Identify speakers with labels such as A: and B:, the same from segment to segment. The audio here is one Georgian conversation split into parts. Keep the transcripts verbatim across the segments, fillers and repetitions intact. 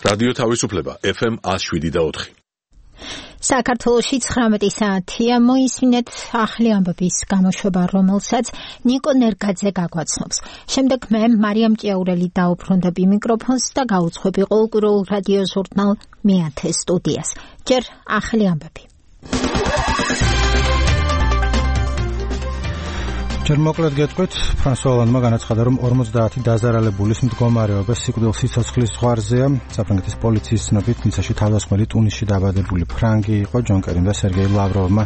A: რადიო თავისუფლება ეფ ემ one oh seven და four.
B: საქართველოში ცხრამეტი საათია, მოისმინეთ ახალი ამბების გამოშვება, რომელსაც ნიკო ნერგაძე გაგვაცნობს. შემდეგ მე მარიამ ჭიაურელი დაუბრუნდები მიკროფონს და გაუძღვები ყოველკვირეულ რადიო ჟურნალ მეათე სტუდიას. ჯერ ახალი ამბები.
C: ჯერ მოკლედ გეტყვით, ფრანსუა ოლანდმა განაცხადა, რომ ორმოცდაათი დაზარალებულის მდგომარეობა სიკვდილსიცოცხლის ზღვარზეა. საფრანგეთის პოლიციის ცნობით, ნიცაში თავდასხმელი ტუნისში დაბადებული ფრანგი იყო. ჯონ კერიმ და სერგეი ლავროვმა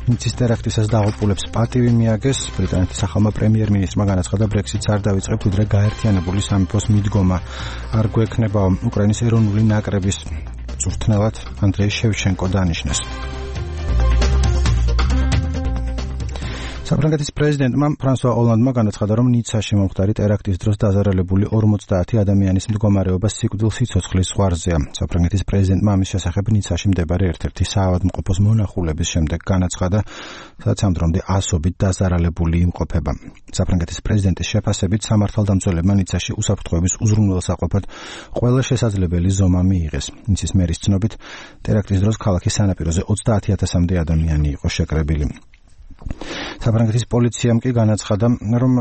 C: ნიცის ტერაქტისას დაღუპულებს პატივი მიაგეს. ბრიტანეთის ახალმა პრემიერ-მინისტრმა განაცხადა, ბრექსიტს არ დავიწყებთ, ვიდრე გაერთიანებული სამეფოს მიდგომა არ გვექნება. უკრაინის ეროვნული ნაკრების მწვრთნელად ანდრეი შევჩენკო დანიშნეს. საფრანგეთის პრეზიდენტმა ფრანსუა ოლანდმა განაცხადა, რომ ნიცაში მომხდარი ტერაქტის დროს დაზარალებული ორმოცდაათი ადამიანის მდგომარეობა სიკვდილსიცოცხლის ზღვარზეა. საფრანგეთის პრეზიდენტმა ამის შესახებ ნიცაში მდებარე ერთ-ერთი საავადმყოფოს მონახულების შემდეგ განაცხადა, სადაც ამ დრომდე ასობით დაზარალებული იმყოფება. საფრანგეთის პრეზიდენტის შეფასებით სამართალდამცველებმა ნიცაში უსაფრთხოების უზრუნველსაყოფად ყველა შესაძლებელი ზომა მიიღეს. ნიცის მერის ცნობით, ტერაქტის დროს ქალაქის სანაპიროზე ოცდაათი ათასამდე ადამიანი იყო შეკრებილი. საფრანგეთის პოლიციამ კი განაცხადა, რომ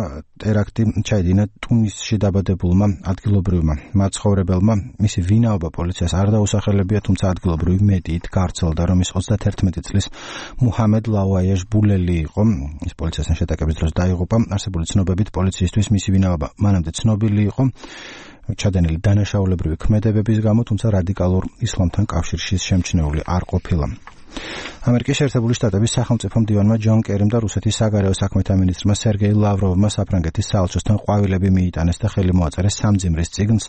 C: ტერაქტი ჩაიდინა ტუნისში დაბადებულმა ადგილობრივმა მაცხოვრებელმა. მისი ვინაობა პოლიციას არ დაუსახელებია, თუმცა ადგილობრივი მედიით გავრცელდა, რომ ის ოცდაათერთმეტი წლის მუჰამედ ლაუაიეჟ ბულელი იყო. ის პოლიციასთან შეტაკების დროს დაიღუპა. არსებული ცნობებით პოლიციისთვის მისი ვინაობა მანამდე ცნობილი იყო ჩადენილი დანაშაულებრივი ქმედებების გამო, თუმცა რადიკალურ ისლამთან კავშირში შემჩნეული არ ყოფილა. ამერიკის შეერთებული შტატების სახელმწიფო მდივანმა ჯონ კერიმ და რუსეთის საგარეო საქმეთა მინისტრმა სერგეი ლავროვმა საფრანგეთის საელჩოსთან ყვავილები მიიტანეს და ხელი მოაწერეს სამძიმრის წიგნს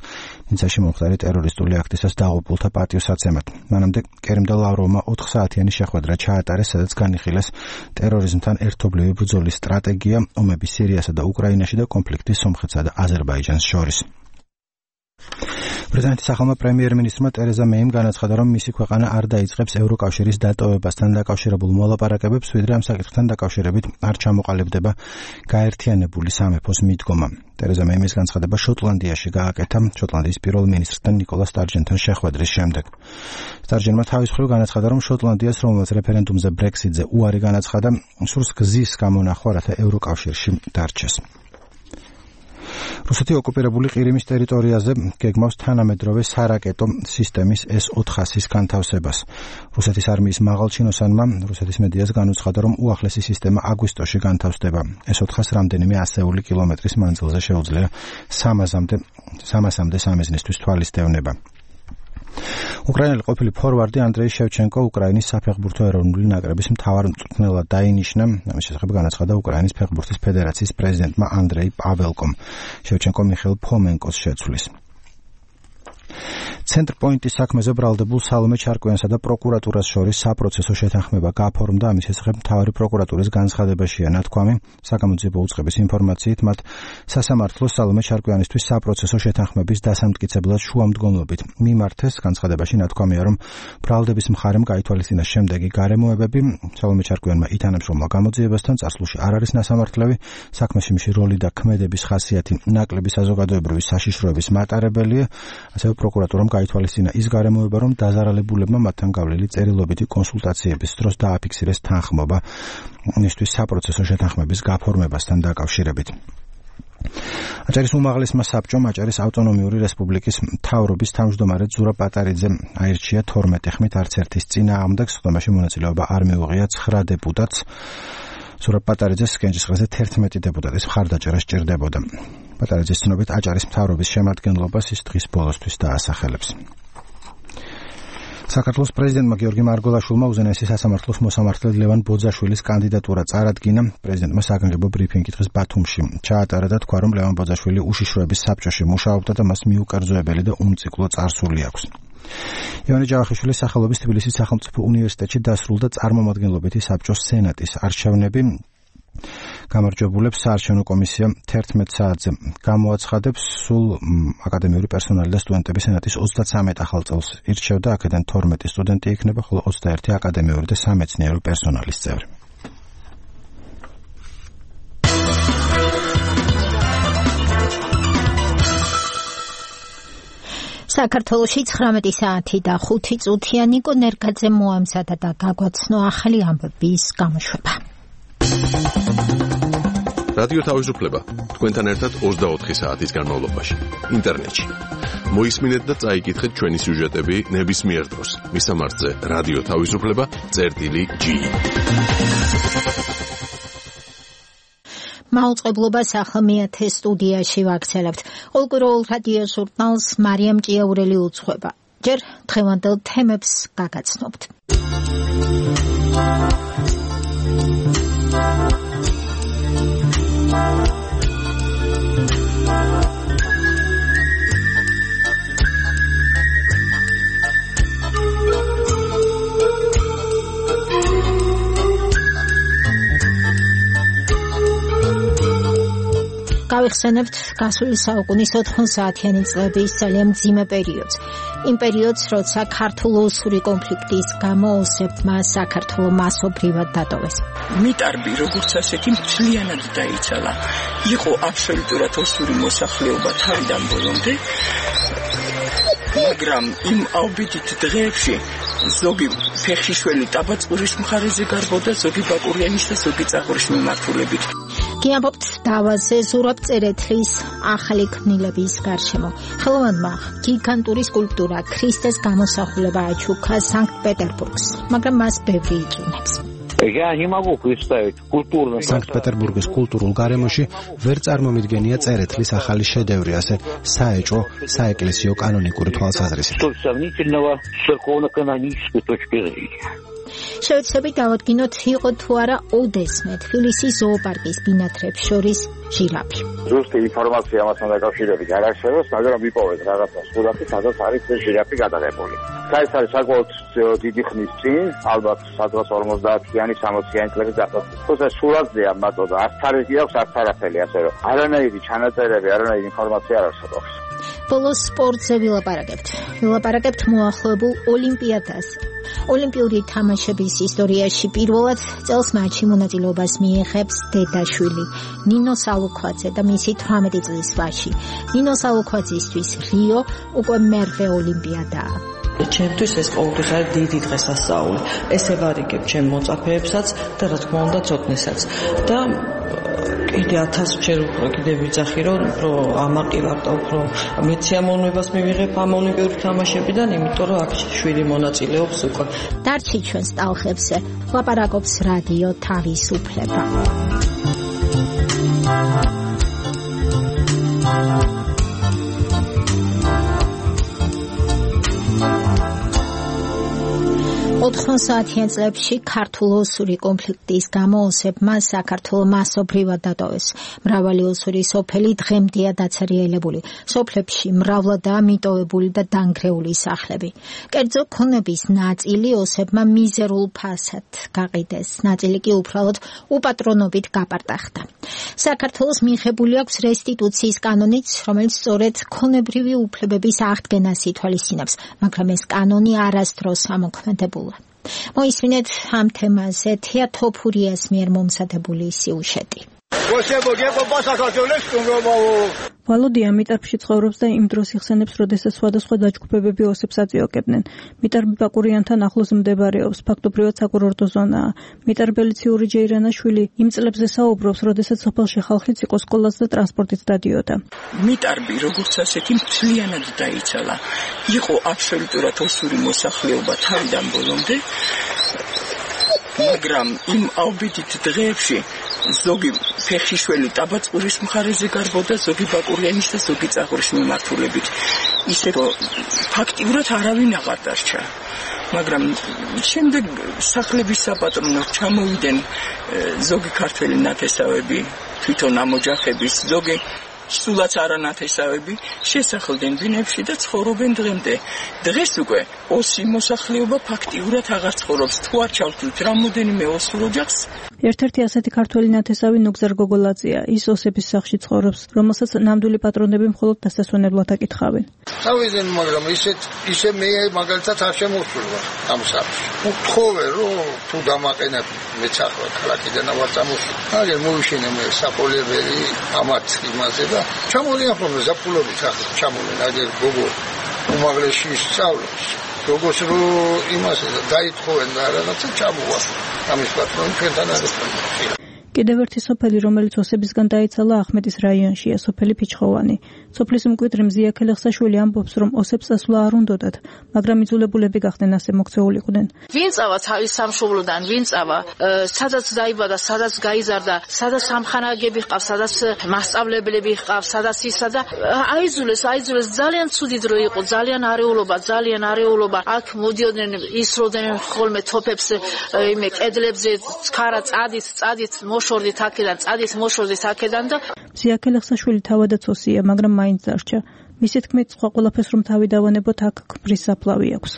C: ნიცაში მომხდარი ტერორისტული აქტისას დაღუპულთა პატივსაცემად. მანამდე კერიმ და ლავროვმა ოთხ საათიანი შეხვედრა ჩაატარეს, სადაც განიხილეს ტერორიზმთან ერთობლივი ბრძოლის სტრატეგია, ომები სირიასა და უკრაინაში და კონფლიქტი სომხეთსა და აზერბაიჯანს შორის. ბრიტანეთის ახალმა პრემიერ-მინისტრმა ტერეზა მეიმ განაცხადა, რომ მისი ქვეყანა არ დაიწყებს ევროკავშირის დატოვებასთან დაკავშირებულ მოლაპარაკებებს, ვიდრე ამ საკითხთან დაკავშირებით არ ჩამოყალიბდება გაერთიანებული სამეფოს მიდგომა. ტერეზა მეიმის განცხადება შოტლანდიაში გააკეთა შოტლანდიის პირველ მინისტრთან ნიკოლა სტარჯენთან შეხვედრის შემდეგ. სტარჯენმა თავის მხრივ განაცხადა, რომ შოტლანდიას, რომელმაც რეფერენდუმზე ბრექსიტზე უარი განაცხადა, სურს გზის გამონახვა, რათა ევროკავშირში დარჩეს. რუსეთი ოკუპირებული ყირიმის ტერიტორიაზე გეგმავს თანამედროვე სარაკეტო სისტემის ეს ოთხასის განთავსებას. რუსეთის არმიის მაღალჩინოსანმა რუსეთის მედიას განუცხადა, რომ უახლესი სისტემა აგვისტოში განთავსდება. ეს ოთხას რამდენიმე ასეული კილომეტრის მანძილზე შეუძლია სამასამდე სამიზნისთვის თვალისდევნება. უკრაინელი ყოფილი ფორვარდი ანდრეი შევჩენკო უკრაინის საფეხბურთო ეროვნული ნაკრების მთავარ მწვრთნელად დაინიშნა. ამის შესახებ განაცხადა უკრაინის ფეხბურთის ფედერაციის პრეზიდენტმა ანდრეი პაველკომ. შევჩენკო მიხეილ ფომენკოს შეცვლის. ცენტრპოინტის საქმეზე ბრალდებულ სალომე ჩარკვიანსა და პროკურატურას შორის საპროცესო შეთანხმება გაფორმდა. ამის შესახებ მთავარი პროკურატურის განცხადებაშია ნათქვამი. საგამოძიებო უწყების ინფორმაციით, მათ სასამართლოს სალომე ჩარკვიანისთვის საპროცესო შეთანხმების დასამტკიცებლად შუამდგომლობით მიმართეს. განცხადებაში ნათქვამია, რომ ბრალდების მხარემ გაითვალისწინა შემდეგი გარემოებები. სალომე ჩარკვიანმა ითანამშრომლა გამოძიებასთან, წარსულში არ არის ნასამართლები. საქმეში მისი როლი და ქმედების ხასიათი ნაკლები საზოგადოებრივი საშიშროების მატარებელია. ასევე პროკურატურამ გაითვალისწინა ის გარემოება, რომ დაზარალებულებმა მათთან გავლილი წერილობითი კონსულტაციების დროს დააფიქსირეს თანხმობა მისთვის საპროცესო შეთანხმების გაფორმებასთან დაკავშირებით. აჭარის უმაღლესმა საბჭომ აჭარის ავტონომიური რესპუბლიკის მთავრობის თავმჯდომარე ზურაბ პატარიძე აირჩია თორმეტი ხმით არც ერთის წინააღმდეგ. სხდომაში მონაწილეობა არ მიუღია ცხრა დეპუტატს. ზურაბ პატარიძეს კენჭისყრაზე თერთმეტი დეპუტატის მხარდაჭერა სჭირდებოდა. პატარიძის ცნობით აჭარის მთავრობის შემადგენლობას ის დღის ბოლოსთვის დაასახელებს. საქართველოს პრეზიდენტმა გიორგი მარგველაშვილმა უზენაესი სასამართლოს მოსამართლედ ლევან ბოძაშვილის კანდიდატურა წარადგინა. პრეზიდენტმა საგანგებო ბრიფინგი დღეს ბათუმში ჩაატარა და თქვა, რომ ლევან ბოძაშვილი უშიშროების საბჭოში მუშაობდა და მას მიუკერძოებელი და უმციკლო წარსული აქვს. ივანე ჯავახიშვილის სახელობის თბილისის სახელმწიფო უნივერსიტეტში დასრულდა წარმომადგენლობითი საბჭოს სენატის არჩევნები. გამარჯვებულებს საარჩევნო კომისია თერთმეტ საათზე გამოაცხადებს. სულ აკადემიური პერსონალი და სტუდენტები სენატის ოცდათრამეტ ახალ წელს ირჩევდა. აქედან თორმეტი სტუდენტი იქნება, ხოლო ოცდაერთი აკადემიური და სამეცნიერო პერსონალის წევრი.
B: საქართველოში ცხრამეტი საათი და ხუთი წუთია. ნიკო ნერგაძე მოამზადა და გაგვაცნო ახალი ამბების გამოშვება.
A: რადიო თავისუფლება თქვენთან ერთად ოცდაოთხი საათის განმავლობაში ინტერნეტში. მოისმინეთ და წაიკითხეთ ჩვენი სიუჟეტები ნებისმიერ დროს. მისამართზე რადიო თავისუფლება წერტილი ჯი.
B: მაუწყებლობას ახლა მეათე სტუდიაში ვაგრძელებთ. ყოველკვირეულ რადიო ჟურნალს მარიამ ჭიაურელი უძღვება. ჯერ დღევანდელ თემებს გაგაცნობთ. გავიხსენებთ გასული საუკუნის ოთხმოცდაათიანი წლების ძალიან მძიმე პერიოდს. იმ პერიოდს, როცა ქართულ-ოსური კონფლიქტის გამო ოსებმა საქართველო მასობრივად დატოვეს.
D: მიტარბი როგორც ასეთი მთლიანად დაიცალა. იყო აბსოლუტურად ოსური მოსახლეობა თავიდან ბოლომდე. მაგრამ იმ აუბედით დღეებში ზოგი ფეხშიშველი ტაბაწყურის მხარეზე გარბოდა, ზოგი ბაკურიანის და ზოგი წაღურის მიმართულებით.
B: გიამბობთ დავაზე ზურაბ წერეთლის ახალი ქმნილების გარშემო. ხელოვანმა გიგანტური სკულპტურა ქრისტეს გამოსახულება აჩუქა სანქტ-პეტერბურგს, მაგრამ მას ბევრი იწუნებს.
E: Я не могу представить культурно.
C: Санкт-Петербургის კულტურულ გარემოში ვერ წარმომიდგენია წერეთლის ახალი შედევრი, ასე საეჭვო, საეკლესიო კანონიკური თვალსაზრისით.
E: Что сомнительного с церковно-канонической точки зрения.
B: შევეცდებით დავადგინოთ, იყო თუ არა ოდესმე თბილისის ზოოპარკის ბინადრებს შორის ჟირაფი.
E: ზუსტი ინფორმაცია ამასთან დაკავშირებით არ არსებობს, მაგრამ ვიპოვეთ რაღაცა სურათი, სადაც არის ეს ჟირაფი გადაღებული. ეს არის საკმაოდ დიდი ხნის წინ, ალბათ სადღაც ორმოცდაათიანი, სამოციანი წლების დასაწყისში. თუმცა სურათზეა მარტო და არც თარიღი აქვს, არც არაფერი, ასე რომ არანაირი ჩანაწერები, არანაირი ინფორმაცია არ არსებობს.
B: ბოლოს სპორტზე ვილაპარაკებთ. ვილაპარაკებთ მოახლოებულ ოლიმპიადას. ოლიმპიური თამაშების ისტორიაში პირველად წელს მატჩში მონაწილეობას მიიღებს დედაშვილი ნინო სალუქვაძე და მისი თვრამეტი წლის ვაჟი. ნინო სალუქვაძისთვის რიო უკვე მერვე ოლიმპიადაა.
F: ჩემთვის ეს ყოველთვის არის დიდი დღესასწაული. ესე ვარიგებ ჩემ მოწაფეებსაც და რა თქმა უნდა ცოტნესაც. და კიდე ათასჯერ უფრო კიდე ვიძახი, რომ უფრო ამაყივარ და უფრო მეც სიამოვნებას მივიღებ ამ ოლიმპიური თამაშებიდან, იმიტომ რომ აქ შვილი მონაწილეობს უკვე.
B: დარჩი ჩვენს ტალხებზე ლაპარაკობს რადიო თავისუფლება. ოთხმოცდაათიან წლებში ქართულ-ოსური კონფლიქტის გამო ოსებმა საქართველო მასობრივად დატოვეს. მრავალი ოსური სოფელი დღემდეა დაცარიელებული. სოფლებში მრავლადაა მიტოვებული და დანგრეული სახლები. კერძო ქონების ნაწილი ოსებმა მიზერულ ფასად გაყიდეს, ნაწილი კი უბრალოდ უპატრონობით გაპარტახდა. საქართველოს მიღებული აქვს რესტიტუციის კანონიც, რომელიც სწორედ ქონებრივი უფლებების აღდგენას ითვალისწინებს, მაგრამ ეს კანონი არასდროს ამოქმედებულა. მოისმინეთ ამ თემაზე თია თოფურიას მიერ მომზადებული სიუჟეტი.
G: ვალოდია მიტარბში ცხოვრობს და იმ დროს იხსენებს, როდესაც სხვადასხვა დაჯგუფებები ოსებს აწიოკებდნენ. მიტარბი ბაკურიანთან ახლოს მდებარეობს, ფაქტობრივად საკურორტო ზონაა. მიტარბელი ციური ჯეირანაშვილი იმ წლებზე საუბრობს, როდესაც სოფელში ხალხიც იყო სკოლას და ტრანსპორტით დადიოდა.
D: მიტარბი როგორც ასეთი მთლიანად დაიცალა. იყო აბსოლუტურად ოსური მოსახლეობა თავიდან ბოლომდე. მაგრამ იმ აუბედით დღეებში ზოგი ფეხშიშველი ტაბაწყურის მხარეზე გარბოდა, ზოგი ბაკურიანის და ზოგი წაღურის მიმართულებით. ისე რომ ფაქტიურად არავინ აღარ დარჩა. მაგრამ შემდეგ სახლების საპატრონოს ჩამოვიდნენ ზოგი ქართველი ნათესავები, თვითონ ამოჯახების, ზოგი სულაც არანათესავები შესახლდნენ ბინებში და ცხოვრობენ დღემდე. დღეს უკვე ოსი მოსახლეობა ფაქტიურად აღარ ცხოვრობს. თუ არ ჩავთვლით რამოდენიმე ოსურ ოჯახს.
G: ერთ-ერთი ასეთი ქართველი ნათესავი ნუგზარ გოგოლაძეა. ის ოსების სახლში ცხოვრობს, რომელსაც ნამდვილი პატრონები მხოლოდ დასასვენებლად აკითხავენ.
H: თავიდან, მაგრამ ისეთ ისე მე მაგალითად არ შემოსულვარ ამ სახლში. ვთხოვე, რომ თუ დამაყენებ მეც ახლა ქალაქიდან ვარ წამოსული. აგერ მოვიშენე მე საფოლებელი ამათ იმაზე და ჩამოვიდა ხოლმე ზაფხულობით ახლა ჩამოვიდა აგერ გოგო უმაღლესში ისწავლებს. როგორც რო იმას დაითხოვენ და რაღაცა ჩამოვა. ამის პატრონი ჩვენთან არის.
G: კიდევ ერთი სოფელი, რომელიც ოსებისგან დაიცალა ახმეტის რაიონშია, სოფელი ფიჩხოვანი. სოფლის მკვიდრი მზია ქელეხსაშვილი ამბობს, რომ ოსებს ასვლა არ უნდოდათ, მაგრამ იძულებულები გახდნენ ასე მოქცეულიყვნენ.
I: ვინ წავა თავის სამშობლოდან, ვინ წავა, სადაც დაიბადა, სადაც გაიზარდა, სადაც სამხანაგები ჰყავს, სადაც მასწავლებლები ჰყავს, სადაც ისა და აიძულეს, აიძულეს ძალიან ცუდი დრო იყო, ძალიან არეულობა, ძალიან არეულობა. აქ მოდიოდნენ, ისროდნენ ხოლმე თოფებს იმე კედლებზე, ხარა წადით, წადით მოშორდით აქედან, წადით მოშორდით აქედან და
G: მზია ქელეხსაშვილი თავადაც ოსია, მაგრამ მაინც დარჩა. მისი თქმით, სხვა ყველაფერს რომ თავი დავანებოთ, აქ ქმრის საფლავი აქვს.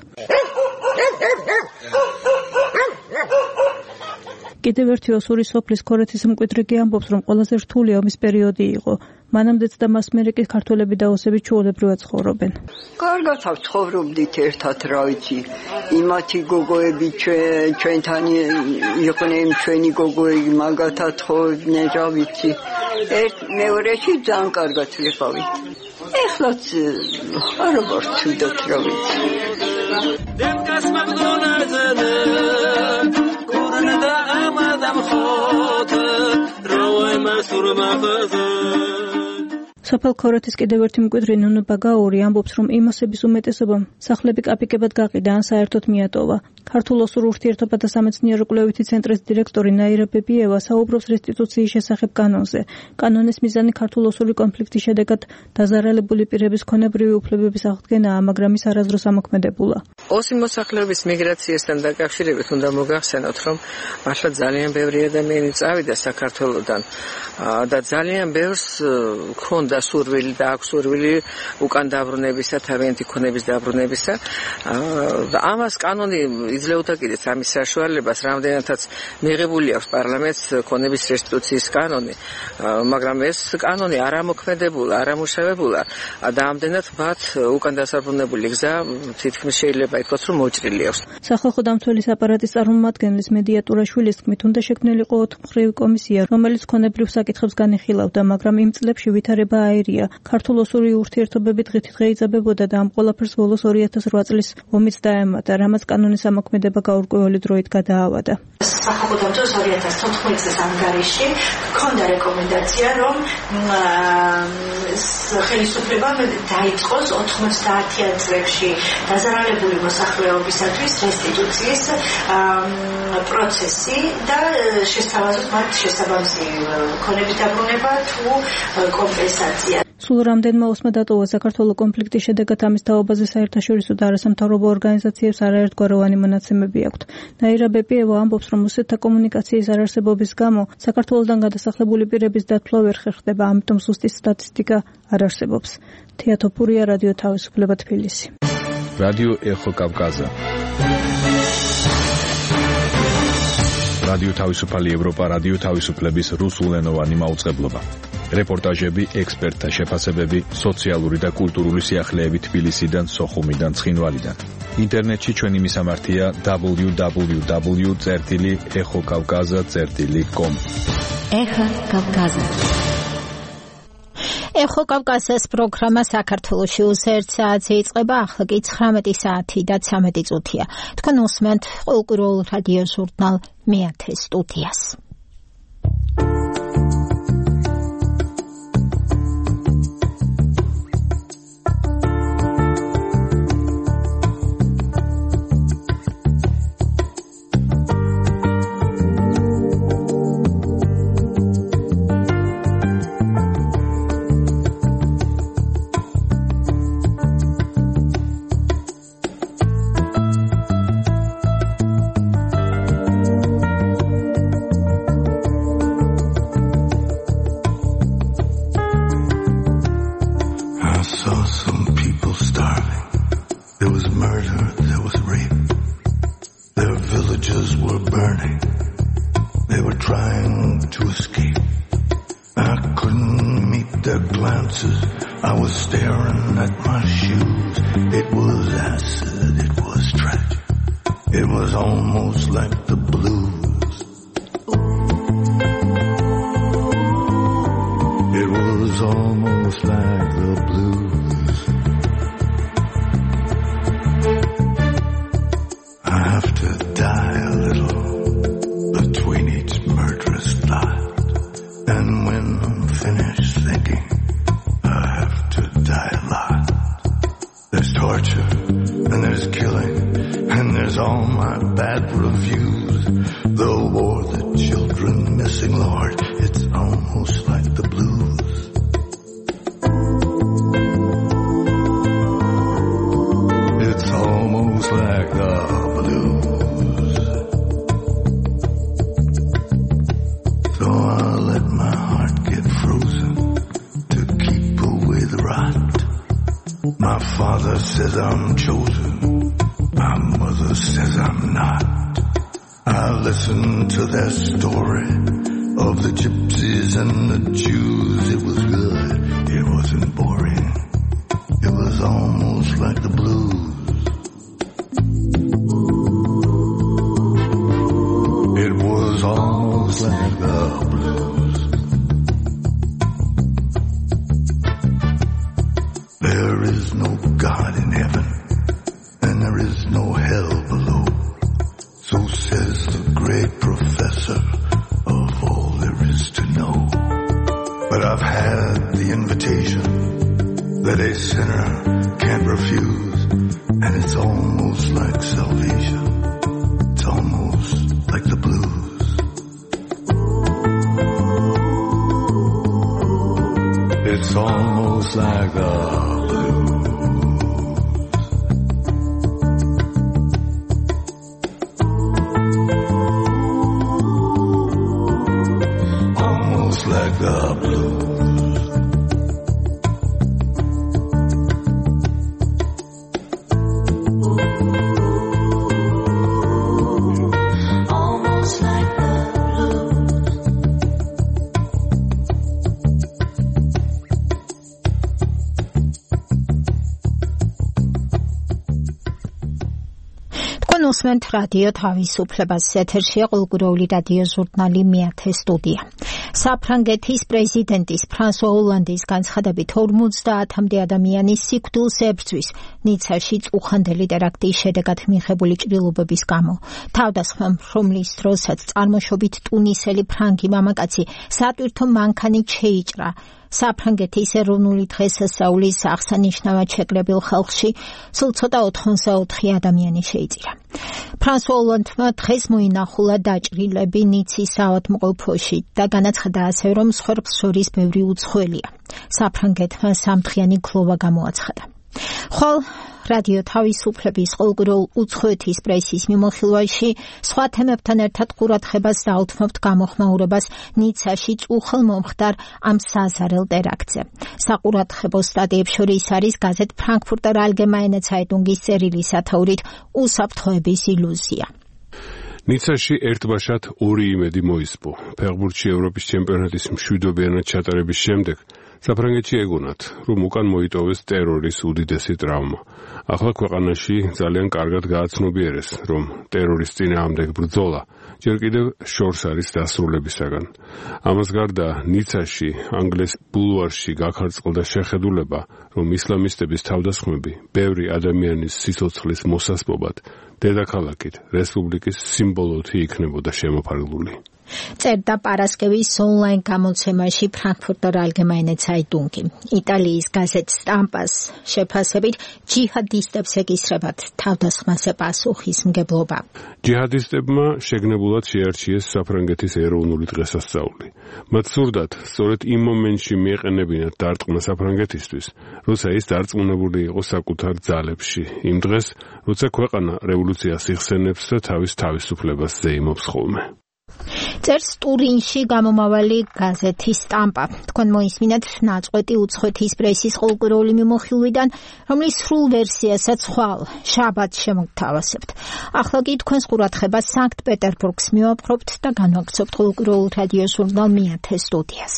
G: კიდევ ერთი ოსური სოფლის ქორეთის მკვიდრი ამბობს, რომ ყველაზე რთული ომის პერიოდი იყო. მანამდეც და მას მერე კი ქართველები და ოსები ჩვეულებრივად ცხოვრობენ.
J: კარგად ცხოვრობდით ერთად, რა ვიცი. იმათი გოგოები ჩვენთან იყვნენ, ჩვენი გოგოები მაგათად ხოვდნენ, რა ვიცი. ერთ მეორეში ძალიან კარგად ვიყავით. ეხლაც როგორ ვცუდოთ, რა ვიცი. დემკას მაგდონაძე კურნდა ამადამ ხოთ როე მასურ მაღაზა სოფელ ქორეთის კიდევ ერთი მკვიდრი ნუნუ ბაგაური ამბობს, რომ იმოსების უმეტესობამ სახლები კაპიკებად გაყიდა ან საერთოდ მიატოვა. ქართულ ოსურ ურთიერთობათა სამეცნიერო კვლევითი ცენტრის დირექტორი ნაირა ბებიევა საუბრობს რესტიტუციის შესახებ კანონზე. კანონის მიზანი ქართულ ოსური კონფლიქტის შედეგად დაზარალებული პირების ქონებრივი უფლებების აღდგენაა, მაგრამ ის არასდროს ამოქმედებულა.
F: ოსი მოსახლეობის მიგრაციასთან დაკავშირებით უნდა მოგახსენოთ, რომ მართლა ძალიან ბევრი ადამიანი წავიდა საქართველოდან და ძალიან ბევრს ქონდა სურვილი და აქვს სურვილი უკან დაბრუნებისა, თავიანთი ქონების დაბრუნებისა. ამას კანონი იძლეოდა კიდეც ამის საშუალებას, რამდენადაც მიღებული აქვს პარლამენტს ქონების რესტიტუციის კანონი, მაგრამ ეს კანონი არ ამოქმედებულა, არ ამუშავებულა და ამდენად მათ უკან დასაბრუნებელი გზა თითქმის შეიძლება ითქვას, რომ მოჭრილი აქვს.
G: სახალხო დამცველის აპარატის წარმომადგენლის მედია ტურაშვილის თქმით, უნდა შექმნილიყო ოთხმხრივი კომისია, რომელიც ქონებრივ საკითხებს განიხილავდა, მაგრამ იმ წლებში ვითარება აირია. ქართულ-ოსური ურთიერთობები დღითიდღე იძაბებოდა და ამ ყველაფერს ბოლოს ორი ათას ორი წლის ომიც დაემატა, რამაც კანონის ამოქმედება გაურკვეველი დროით გადაავადა.
K: სახალხო დამცველს ორი ათას თოთხმეტ წლის ანგარიში ჰქონდა რეკომენდაცია, რომ ხელისუფლებამ დაიწყოს ოთხმოცდაათიან წლებში დაზარალებული მოსახლეობისათვის რესტიტუციის პროცესი და შესთავაზოს მათ შესაბამისი ქონების დაბრუნება თუ კომპენსაცია.
G: სულ რამდენმა ოსმა დატოვა საქართველოს კონფლიქტის შედეგად ამის თაობაზე საერთაშორისო და არასამთავრობო ორგანიზაციებს არაერთგვაროვანი მონაცემები აქვთ. ნაირა ბებიევა ამბობს, რომ ოსეთთა კომუნიკაციის არარსებობის გამო საქართველოსდან გადასახლებული პირების დათვლა ვერ ხერხდება, ამიტომ ზუსტი სტატისტიკა არ არსებობს. თეატოფურია, რადიო თავისუფლება, თბილისი.
L: რადიო ეხო კავკაზა. რადიო თავისუფალი ევროპა, რადიო თავისუფლების რუსულენოვანი მაუწყებლობა. რეპორტაჟები, ექსპერტთა შეფასებები, სოციალური და კულტურული სიახლეები თბილისიდან, სოხუმიდან, ცხინვალიდან. ინტერნეტში ჩვენი მისამართია დაბლიუ დაბლიუ დაბლიუ წერტილი ეხო კავკაზა წერტილი კომ.
B: ეხო კავკაზა. ეხო კავკაზას პროგრამა საქართველოში უსერთ საათზე იწყება, ახლა კი ცხრამეტი საათი და ცამეტი წუთია. თქვენ უსმენთ ყოველკვირეულ რადიო ჟურნალ მეათე სტუდიას.
M: And when I'm finished thinking, I have to die a lot. There's torture, and there's killing, and there's all my bad reviews. The war, the children missing, Lord, it's almost like the blues. It's almost like the blues. So I'll let my heart get frozen to keep away the rot. My father says I'm chosen, my mother says I'm not. I listen to their story of the gypsies and the Jews. It was good, it wasn't boring. It was almost like the blues. It was almost like the blues. There is no God in heaven, and there is no hell below. So says the great professor of all there is to know. But I've had the invitation that a sinner can't refuse, and it's almost like salvation. It's almost like the blues. It's almost like the like the blues. Almost like the
B: უსმენთ რადიო თავისუფლებას. ეთერშია ყოველკვირეული რადიო ჟურნალი მეათე სტუდია. საფრანგეთის პრეზიდენტის ფრანსუა ოლანდის განცხადებით ორმოცდაათამდე ადამიანის სიკვდილს ებრძვის ნიცაში წუხანდელი ტერაქტის შედეგად მიღებული ჭრილობების გამო. თავდასხმამ, რომლის დროსაც წარმოშობით ტუნისელი ფრანგი მამაკაცი სატვირთო მანქანით შეიჭრა საფრანგეთის ეროვნული დღესასწაულის აღსანიშნავად შეკრებილ ხალხში სულ ცოტა ოთხმოცდაოთხი ადამიანი შეიწირა. ფრანსუა ოლანდმა დღეს მოინახულა დაჭრილები ნიცის საავადმყოფოში და განაცხადა ასევე, რომ მსხვერპლს შორის ბევრი უცხოელია. საფრანგეთმა სამდღიანი გლოვა გამოაცხადა. ხოლ რადიო თავისუფლების ყოველკვირეულ უცხოეთის პრესის მიმოხილვაში სხვა თემებთან ერთად ყურადღებას დაუთმობთ გამოხმაურებას ნიცაში წუხელ მომხდარ ამ საზარელ ტერაქტზე. საყურადღებო სტატიებს შორის არის გაზეთ ფრანკფურტერ ალგემაინე ცაიტუნგის წერილი სათაურით უსაფრთხოების ილუზია.
N: ნიცაში ერთბაშად ორი იმედი მოისპო. ფეხბურთში ევროპის ჩემპიონატის მშვიდობიანად ჩატარების შემდეგ საფრანგეთში ეგონათ, რომ უკან მოიტოვეს ტერორის უდიდესი ტრავმა. ახლა ქვეყანაში ძალიან კარგად გააცნობიერეს, რომ ტერორის წინააღმდეგ ბრძოლა ჯერ კიდევ შორს არის დასრულებისაგან. ამას გარდა ნიცაში, ანგლიის ბულვარში გაქარწყლდა შეხედულება, რომ ისლამისტების თავდასხმები ბევრი ადამიანის სიცოცხლის მოსასპობად დედაქალაქით რესპუბლიკის სიმბოლოთი იქნებოდა შემოფარგლული. წერდა პარასკევის ონლაინ გამოცემაში ფრანკფურტერ ალგემაინე ცაიტუნგი. იტალიის გაზეთ სტამპას შეფასებით ჯიჰადისტებს ეკისრებათ თავდასხმაზე პასუხისმგებლობა. ჯიჰადისტებმა შეგნებულად შეარჩიეს საფრანგეთის ეროვნული დღესასწაული. მათ სურდათ სწორედ იმ მომენტში მიეყენებინათ დარტყმა საფრანგეთისთვის, როცა ის დარწმუნებული იყო საკუთარ ძალებში. იმ დღეს, როცა ქვეყანა რევოლუციას იხსენებს და თავის თავისუფლებას ზეიმობს ხოლმე. წერს ტურინში გამომავალი გაზეთი სტამპა. თქვენ მოისმინეთ ნაწყვეტი უცხოეთის პრესის ყოველკვირეული მიმოხილვიდან, რომლის სრულ ვერსიასაც ხვალ შაბათს შემოგთავაზებთ. ახლა კი თქვენს ყურადღებას სანქტ-პეტერბურგს მივაპყრობთ და განვაგრძობთ ყოველკვირეულ რადიო ჟურნალ მეათე სტუდიას.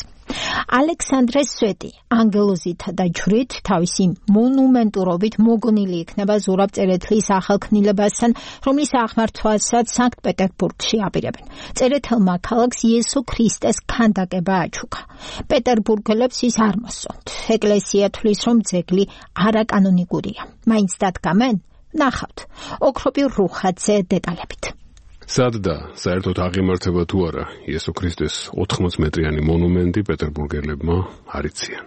N: ალექსანდრე სვეტი ანგელოზითა და ჯვრით თავისი მონუმენტურობით მოგონილი იქნება ზურაბ წერეთლის ახალქმნილებასთან, რომლის აღმართვასაც სანქტ-პეტერბურგში აპირებენ. წერეთელმა ქალაქს იესო ქრისტეს ქანდაკება აჩუქა. პეტერბურგელებს ის არ მოსწონთ. ეკლესია თვლის, რომ ძეგლი არაკანონიკურია. მაინც დადგამენ? ნახავთ. ოქროპირ რუხაძე დეტალებით. სად და საერთოდ აღიმართება თუ არა იესო ქრისტეს ოთხმოც მეტრიანი მონუმენტი პეტერბურგელებმა არ იციან.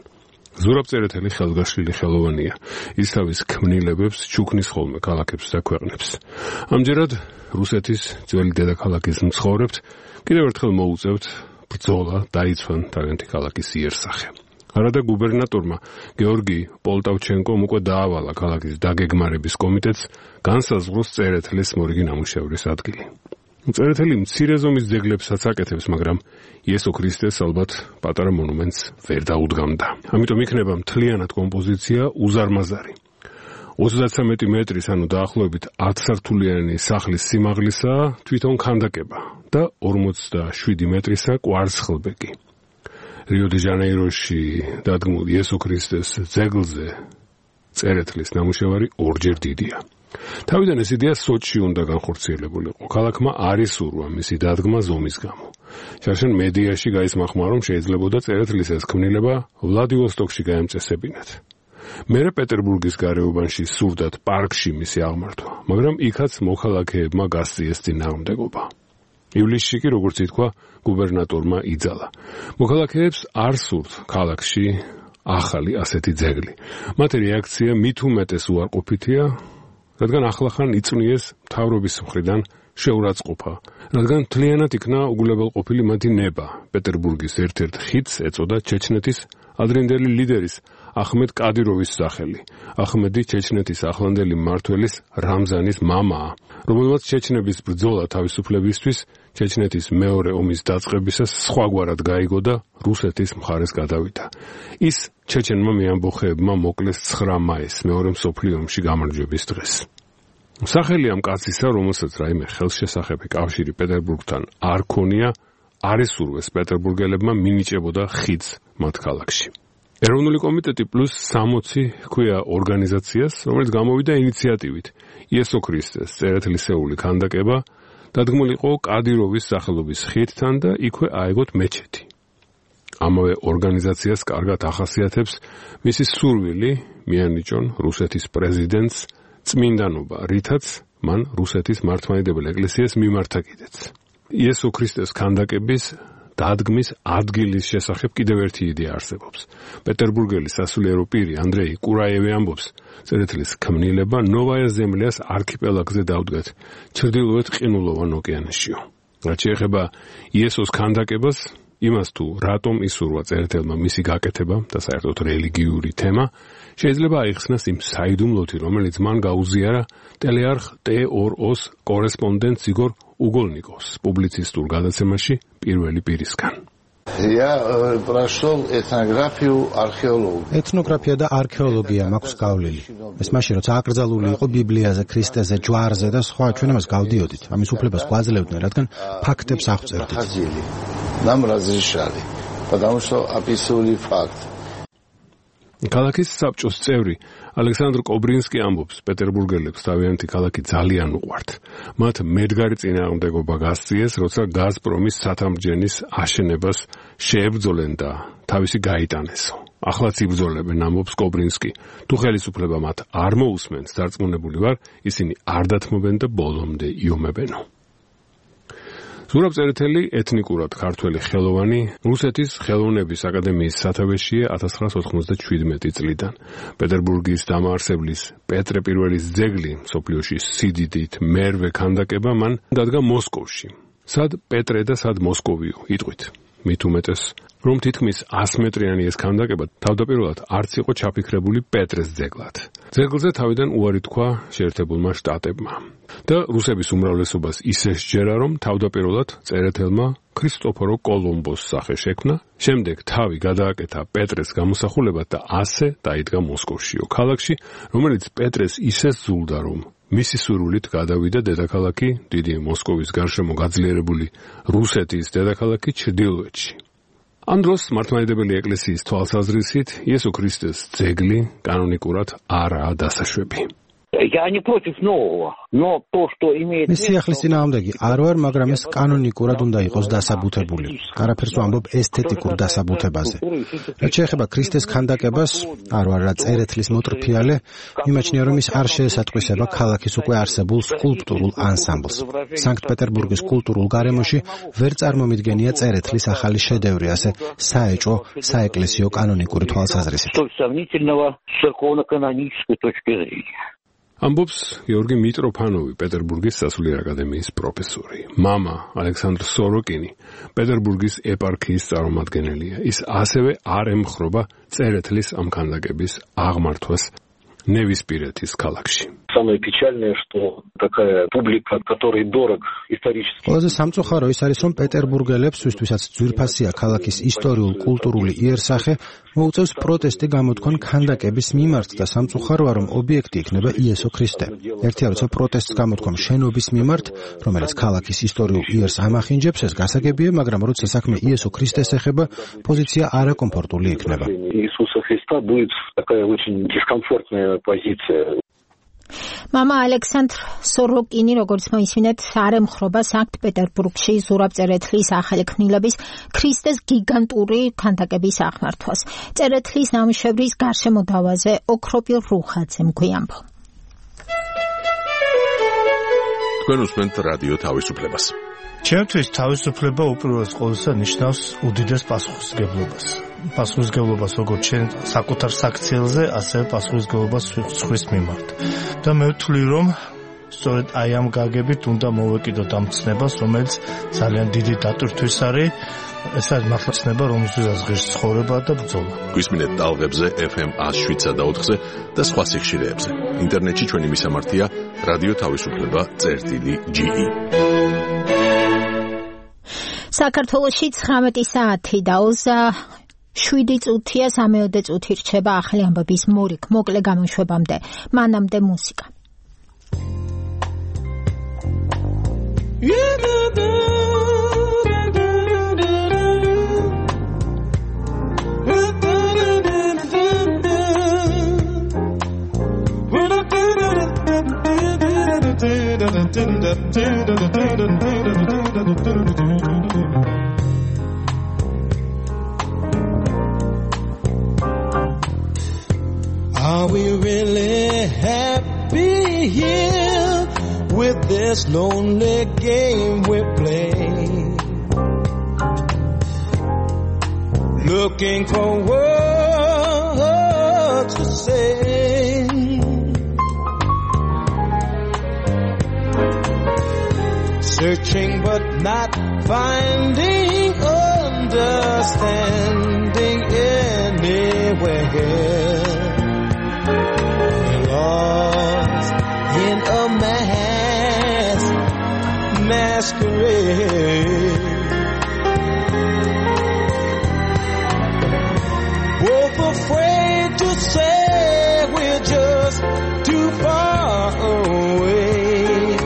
N: ზურაბ წერეთელი ხელგაშლილი ხელოვანია. ის თავის ქმნილებებს ჩუქნის ხოლმე ქალაქებს და ქვეყნებს. ამჯერად რუსეთის ძველი დედაქალაქის მცხოვრებთ კიდევ ერთხელ მოუწევთ ბრძოლა დაიცვან თავიანთი ქალაქის იერსახე. არადა გუბერნატორმა გეორგი პოლტავჩენკომ უკვე დაავალა ქალაქის დაგეგმარების კომიტეტს განსაზღვროს წერეთლის მორიგი ნამუშევრის ადგილი. წერეთელი მცირე ზომის ძეგლებსაც აკეთებს, მაგრამ იესო ქრისტეს ალბათ პატარა მონუმენტს ვერ დაუდგამდა. ამიტომ იქნება მთლიანად კომპოზიცია უზარმაზარი. ოცდათსამეტი მეტრის, ანუ დაახლოებით ათსართულიანი სახლის სიმაღლისაა თვითონ ქანდაკება და ორმოცდაშვიდი მეტრისა კვარცხლბეკი. რიო-დე-ჟანეიროში დადგმულ იესო ქრისტეს ძეგლზე წერეთლის ნამუშევარი ორჯერ დიდია. თავიდან ეს იდეა სოჭში უნდა განხორციელებულიყო. ქალაქმა არ ისურვა მისი დადგმა ზომის გამო. შარშან მედიაში გაისმახმა, რომ შეიძლებოდა წერეთლის ეს ქმნილება ვლადივოსტოკში გაემწესებინათ. მერე პეტერბურგის გარეუბანში სურდათ პარკში მისი აღმართვა, მაგრამ იქაც მოქალაქეებმა გასწიეს წინააღმდეგობა. ივლისში კი, როგორც ითქვა, გუბერნატორმა იძალა. მოქალაქეებს არ სურთ ქალაქში ახალი ასეთი ძეგლი. მათი რეაქცია მით უმეტეს უარყოფითია, რადგან ახლახან იწვნიეს მთავრობის მხრიდან შეურაცხყოფა, რადგან მთლიანად იქნა უგულებელყოფილი მათი ნება. პეტერბურგის ერთ-ერთ ხიდს ეწოდა ჩეჩნეთის ადრინდელი ლიდერის ახმედ კადიროვის სახელი. ახმედი ჩეჩნეთის ახლანდელი მმართველის რამზანის მამაა, რომელმაც ჩეჩნების ბრძოლა თავისუფლებისთვის ჩეჩნეთის მეორე ომის დაწყებისას სხვაგვარად გაიგო და რუსეთის მხარეს გადავიდა. ის ჩეჩენმა მეამბოხეებმა მოკლეს ცხრა მაისს მეორე მსოფლიო ომში გამარჯვების დღეს. სახელი ამ კაცისა, რომელსაც რაიმე ხელშესახები კავშირი პეტერბურგთან არ ქონია, არ ესურვეს პეტერბურგელებმა მინიჭებოდა ხიდს მათ ქალაქში. ეროვნული კომიტეტი პლუს სამოცი ჰქვია ორგანიზაციას, რომელიც გამოვიდა ინიციატივით იესო ქრისტეს წერეთლისეული ქანდაკება დადგმულიყო კადიროვის სახელობის ხიდთან და იქვე აეგოთ მეჩეთი. ამავე ორგანიზაციას კარგად ახასიათებს მისი სურვილი მიანიჭონ რუსეთის პრეზიდენტს წმინდანობა, რითაც მან რუსეთის მართლმადიდებელ ეკლესიას მიმართა კიდეც. იესო ქრისტეს ქანდაკების დადგმის ადგილის შესახებ კიდევ ერთი იდეა არსებობს. პეტერბურგელი სასულიერო პირი ანდრეი კურაევი ამბობს, წერეთლის ქმნილება ნოვაია ზემლიას არქიპელაგზე დავდგათ, ჩრდილოეთ ყინულოვან ოკეანეშიო. რაც შეეხება იესოს ქანდაკებას, იმას თუ რატომ ისურვა წერეთელმა მისი გაკეთება და საერთოდ რელიგიური თემა, შეიძლება აიხსნას იმ საიდუმლოთი, რომელიც მან გაუზიარა ტელეარხ ტე ორ ოს კორესპონდენტ იგორ უგოლნიკოვს პუბლიცისტურ გადაცემაში პირველი პირისგან.
H: Я прошел этнографию, археологию.
C: ეთნოგრაფია და არქეოლოგია მაქვს გავლილი. ეს მაშინ როცა აკრძალული იყო ბიბლიაზე, ქრისტეზე, ჯვარზე და სხვა, ჩვენ ამას გავდიოდით. ამის უფლებას გვაძლევდნენ, რადგან ფაქტებს აღწერდით.
H: Нам разрешали, потому что описывали факт.
N: ქალაქის საბჭოს წევრი ალექსანდრ კობრინსკი ამბობს, პეტერბურგელებს თავიანთი ქალაქი ძალიან უყვართ. მათ მედგარი წინააღმდეგობა გასწიეს, როცა გაზპრომის სათამბჯენის აშენებას შეებრძოლენ და თავისი გაიტანესო. ახლაც იბრძოლებენ, ამბობს კობრინსკი. თუ ხელისუფლება მათ არ მოусმენს, დარწმუნებული ვარ, ისინი არ დათმობენ და ბოლომდე იომებენო. ზურაბ წერეთელი ეთნიკურად ქართველი ხელოვანი, რუსეთის ხელოვნების აკადემიის სათავეშია ათას ცხრაასი ოთხმოცდაშვიდმეტი წლიდან. პეტერბურგის დამაარსებლის პეტრე პირველის ძეგლი მსოფლიოში სიდიდით მერვე ქანდაკება მან დადგა მოსკოვში. სად პეტრე და სად მოსკოვიო იტყვით. მით უმეტეს, რომ თითქმის ას მეტრიანი ეს ქანდაკება თავდაპირველად არც იყო ჩაფიქრებული პეტრეს ძეგლად. ძეგლზე თავიდან უარი თქვა შეერთებულმა შტატებმა და რუსების უმრავლესობას ისე სჯერა, რომ თავდაპირველად წერეთელმა ქრისტოფორო კოლომბოს სახე შექმნა, შემდეგ თავი გადააკეთა პეტრეს გამოსახულებად და ასე დაიდგა მოსკოვშიო ქალაქში, რომელიც პეტრეს ისე სძულდა, რომ მისი სურვილით გადავიდა დედაქალაქი დიდი მოსკოვის გარშემო გაძლიერებული რუსეთის დედაქალაქი ჩრდილოეთში. ამ დროს მართლმადიდებელი ეკლესიის თვალსაზრისით იესო ქრისტეს ძეგლი კანონიკურად არაა დასაშვები.
O: Я не против нового, но то, что имеет...
C: მის სიახლის წინააღმდეგი არ ვარ, მაგრამ ეს კანონიკურად უნდა იყოს დასაბუთებული. არაფერს ვამბობ ესთეტიკურ დასაბუთებაზე. რაც შეეხება ქრისტეს ქანდაკებას, არ ვარ რა წერეთლის მოტრფიალე, მიმაჩნია რომ ის არ შეესატყვისება ქალაქის უკვე არსებულ სკულპტურულ ანსამბლს. სანქტ-პეტერბურგის კულტურულ გარემოში ვერ წარმომიდგენია წერეთლის ახალი შედევრი, ასე საეჭვო, საეკლესიო კანონიკური თვალსაზრისით.
N: ამბობს გიორგი მიტროფანოვი, პეტერბურგის სასულიერო აკადემიის პროფესორი. მამა ალექსანდრ სოროკინი პეტერბურგის ეპარქიის წარმომადგენელია. ის ასევე არ ემხრობა წერეთლის ამ ქანდაკების აღმართვას ნევისპირეთის ქალაქში.
O: Самое печальное, что такая публика, которой дорог исторически.
C: ყველაზე სამწუხარო ის არის, რომ პეტერბურგელებს, ვისთვისაც ძვირფასია ქალაქის ისტორიულ-კულტურული იერსახე, მოუწევს პროტესტი გამოთქვან ქანდაკების მიმართ და სამწუხაროა, რომ ობიექტი იქნება იესო ქრისტე. ერთია, როცა პროტესტს გამოთქვამ შენობის მიმართ, რომელიც ქალაქის ისტორიულ იერს ამახინჯებს, ეს გასაგებია, მაგრამ როცა საქმე იესო ქრისტეს ეხება, პოზიცია არაკომფორტული იქნება.
O: Иисуса Христа будет такая очень дискомфортная позиция.
B: მამა ალექსანდრ სოროკინი, როგორც მოისმინეთ, არ ემხრობა სანქტ-პეტერბურგში ზურაბ წერეთლის ახალი ქმნილების ქრისტეს გიგანტური ქანდაკების აღმართვას. წერეთლის ნამუშევრის გარშემო დავაზე ოქროპილ რუხაძემ გვიამბო.
A: თქვენ უსმენთ რადიო თავისუფლებას.
P: ჩემთვის თავისუფლება უპირველეს ყოვლისა ნიშნავს უდიდეს პასუხისმგებლობას. პასუხისმგებლობას როგორც ჩვენ საკუთარ საქციელზე, ასევე პასუხისმგებლობას სხვის მიმართ. და მე ვთვლი, რომ სწორედ აი ამ გაგებით უნდა მოვეკიდოთ ამ ცნებას, რომელიც ძალიან დიდი დატვირთვის არის. ეს არის მართლა ცნება, რომელზეც ღირს ცხოვრება და ბრძოლა.
A: გვისმინეთ ტალღებზე ეფ ემ one oh seven point four და სხვა სიხშირეებზე. ინტერნეტში ჩვენი მისამართია რადიო თავისუფლება წერტილი ჯი ი.
B: საქართველოში ცხრამეტი საათი და შვიდი წუთია, სამეოდე წუთი რჩება ახალი ამბების მორიგ მოკლე გამოშვებამდე. მანამდე მუსიკა.
Q: Are we really happy here with this lonely game we play? Looking for words to say, searching but not finding understanding anywhere. Lost in a mass masquerade, both afraid to say we're just too far away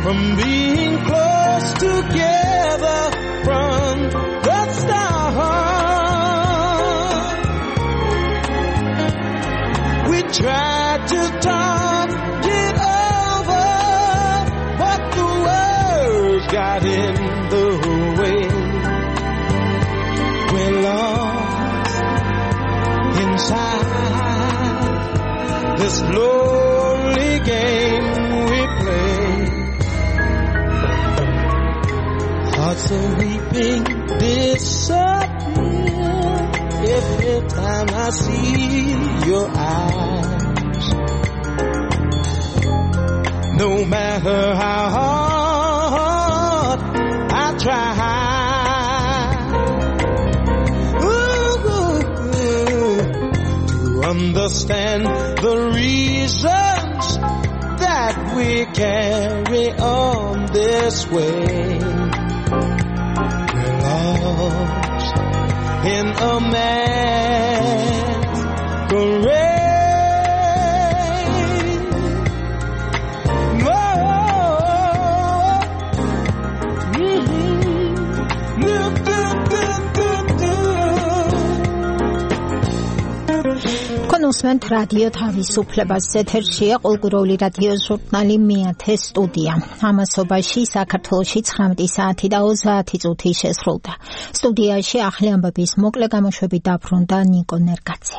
Q: from being close together from the start. Tried to talk it over, but the words got in the way. We're lost inside this lonely game we play. Hearts are weeping, disappear every time I see your eyes. No matter how hard I try ooh, to understand the reasons that we carry on this way. We're lost in a masquerade.
B: მუსმენთ რადიო თავისუფლებას ეთერშია ყოველკვირეული რადიო ჟურნალი მეათე სტუდია. ამასობაში საქართველოში ცხრამეტი საათი და ოცდაათი წუთი შესრულდა. სტუდიაში ახალი ამბების მოკლე გამოშვებით დაბრუნდა ნიკო ნერგაძე.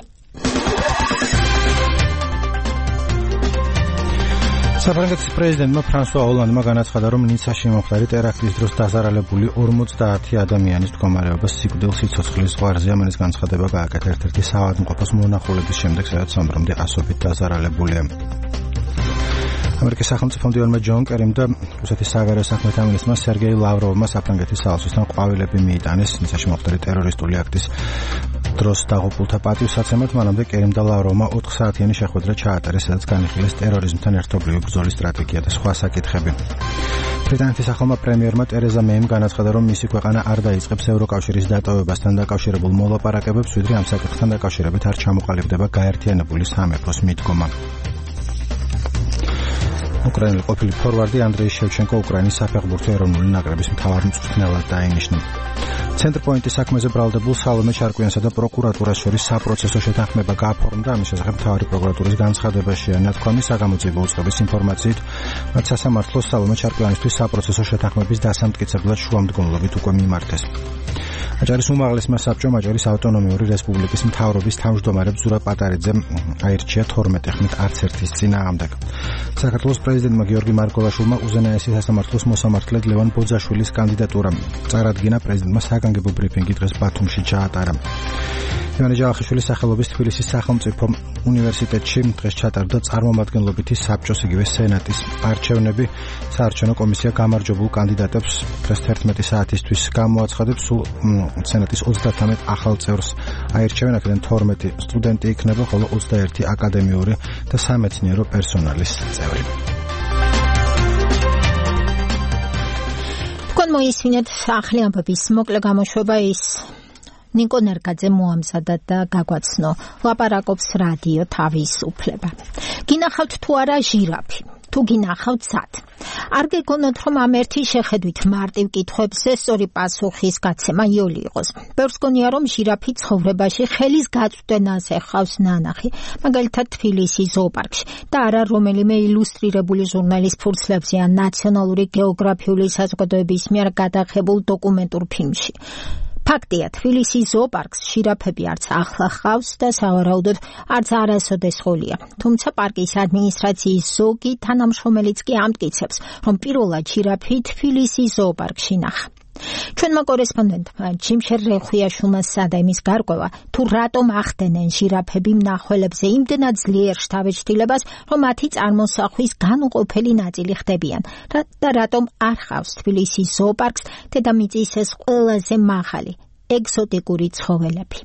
C: საფრანგეთის პრეზიდენტმა ფრანსუა ოლანდმა განაცხადა, რომ ნიცაში მომხდარი ტერაქტის დროს დაზარალებული ორმოცდაათი ადამიანის მდგომარეობა სიკვდილს სიცოცხლის ზღვარზეა. მან ეს განცხადება გააკეთა ერთ-ერთი საავადმყოფოს მონახულების შემდეგ, სადაც სამბრომდე ასობით დაზარალებულია. ამერიკის სახელმწიფო მდივანმა ჯონ კერიმ და რუსეთის საგარეო საქმეთა მინისტრმა სერგეი ლავროვმა საფრანგეთის საელჩოსთან ყვავილები მიიტანეს ნიცაში მომხდარი ტერორისტული აქტის დროს დაღუპულთა პატივსაცემად. მანამდე კერიმ და ლავროვმა ოთხ საათიანი შეხვედრა ჩაატარეს, სადაც განიხილეს ტერორიზმთან ერთობლივი ბრძოლის სტრატეგია და სხვა საკითხები. ბრიტანეთის ახალმა პრემიერმა ტერეზა მეიმ განაცხადა, რომ მისი ქვეყანა არ დაიწყებს ევროკავშირის დატოვებასთან დაკავშირებულ მოლაპარაკებებს, ვიდრე ამ საკითხთან დაკავშირებით არ ჩამოყალიბდება გაერთიანებული სამეფოს მიდგომა. უკრაინული ყოფილი ფორვარდი ანდრეი შევჩენკო უკრაინის საფეხბურთო ეროვნული ნაკრების მთავარ მწვრთნელად დაინიშნა. ცენტრპოინტის საქმეზე ბრალდებულ სალომე ჩარკვიანსა და პროკურატურას შორის საპროცესო შეთანხმება გააფორმდა. ამის შესახებ მთავარი პროკურატურის განცხადებაშია ნათქვამი. საგამოძიებო უწყების ინფორმაციით, მათ სასამართლოს სალომე ჩარკვიანისთვის საპროცესო შეთანხმების დასამტკიცებლად შუამდგომლობით უკვე მიმართეს. აჭარის უმაღლესმა საბჭომ აჭარის ავტონომიური რესპუბლიკის მთავრობის თავმჯდომარედ ზურაბ პატარიძემ აირჩია თორმეტი ხმით არც ერთის წინააღმდეგ. საქართველოს პრეზიდენტმა გიორგი მარგველაშვილმა უზენაესი სასამართლოს მოსამართლედ ლევან ბოძაშვილის კანდიდატურა წარადგინა. პრეზიდენტმა საგანგებო ბრიფინგი დღეს ბათუმში ჩაატარა. ივანე ჯავახიშვილის სახელობის თბილისის სახელმწიფო უნივერსიტეტში დღეს ჩატარდა წარმომადგენლობითი საბჭოს იგივე სენატის არჩევნები. საარჩევნო კომისია გამარჯვებულ კანდიდატებს დღეს თერთმეტი საათისთვის გამოაცხადებს. სულ სენატის ოცდათამეტ ახალ წევრს აირჩევენ, აქედან თორმეტი სტუდენტი იქნება, ხოლო ოცდაერთი აკადემიური და სამეცნიერო პერსონალის წევრი.
B: თქვენ მოისმინეთ ახალი ამბების მოკლე გამოშვება. ის ნიკო ნერგაძე მოამზადა და გაგვაცნო. ლაპარაკობს რადიო თავისუფლება. გინახავთ თუ არა ჟირაფი? თუ გინახავთ სად? არ გეგონოთ, რომ ამ ერთი შეხედვით მარტივ კითხვებზე სწორი პასუხის გაცემა იოლი იყოს. ბევრს გონია, რომ ჟირაფი ცხოვრებაში ხელის გაწვდენაზე ხავს ნანახი, მაგალითად თბილისის ზოოპარკში და არა რომელიმე ილუსტრირებული ჟურნალის ფურცლებზე ან ნაციონალური გეოგრაფიული საზოგადოების მიერ გადაღებულ დოკუმენტურ ფილმში. ფაქტია, თბილისის ზოოპარკს ჟირაფები არც ახლა ხავს და სავარაუდოდ არც არასოდეს ხოლია. თუმცა პარკის ადმინისტრაციის ზოგი თანამშრომელიც კი ამტკიცებს, რომ პირველად ჟირაფი თბილისის ზოოპარკში ნახა. ჩვენმა კორესპონდენტმა ჯიმშერ რეხვიაშვილმა სცადა იმის გარკვევა, თუ რატომ ახდენენ ჟირაფები მნახველებზე იმდენად ძლიერ შთაბეჭდილებას, რომ მათი წარმოსახვის განუყოფელი ნაწილი ხდებიან და რატომ არ ხავს თბილისის ზოოპარკს დედამიწის ეს ყველაზე მაღალი ეგზოტიკური ცხოველები.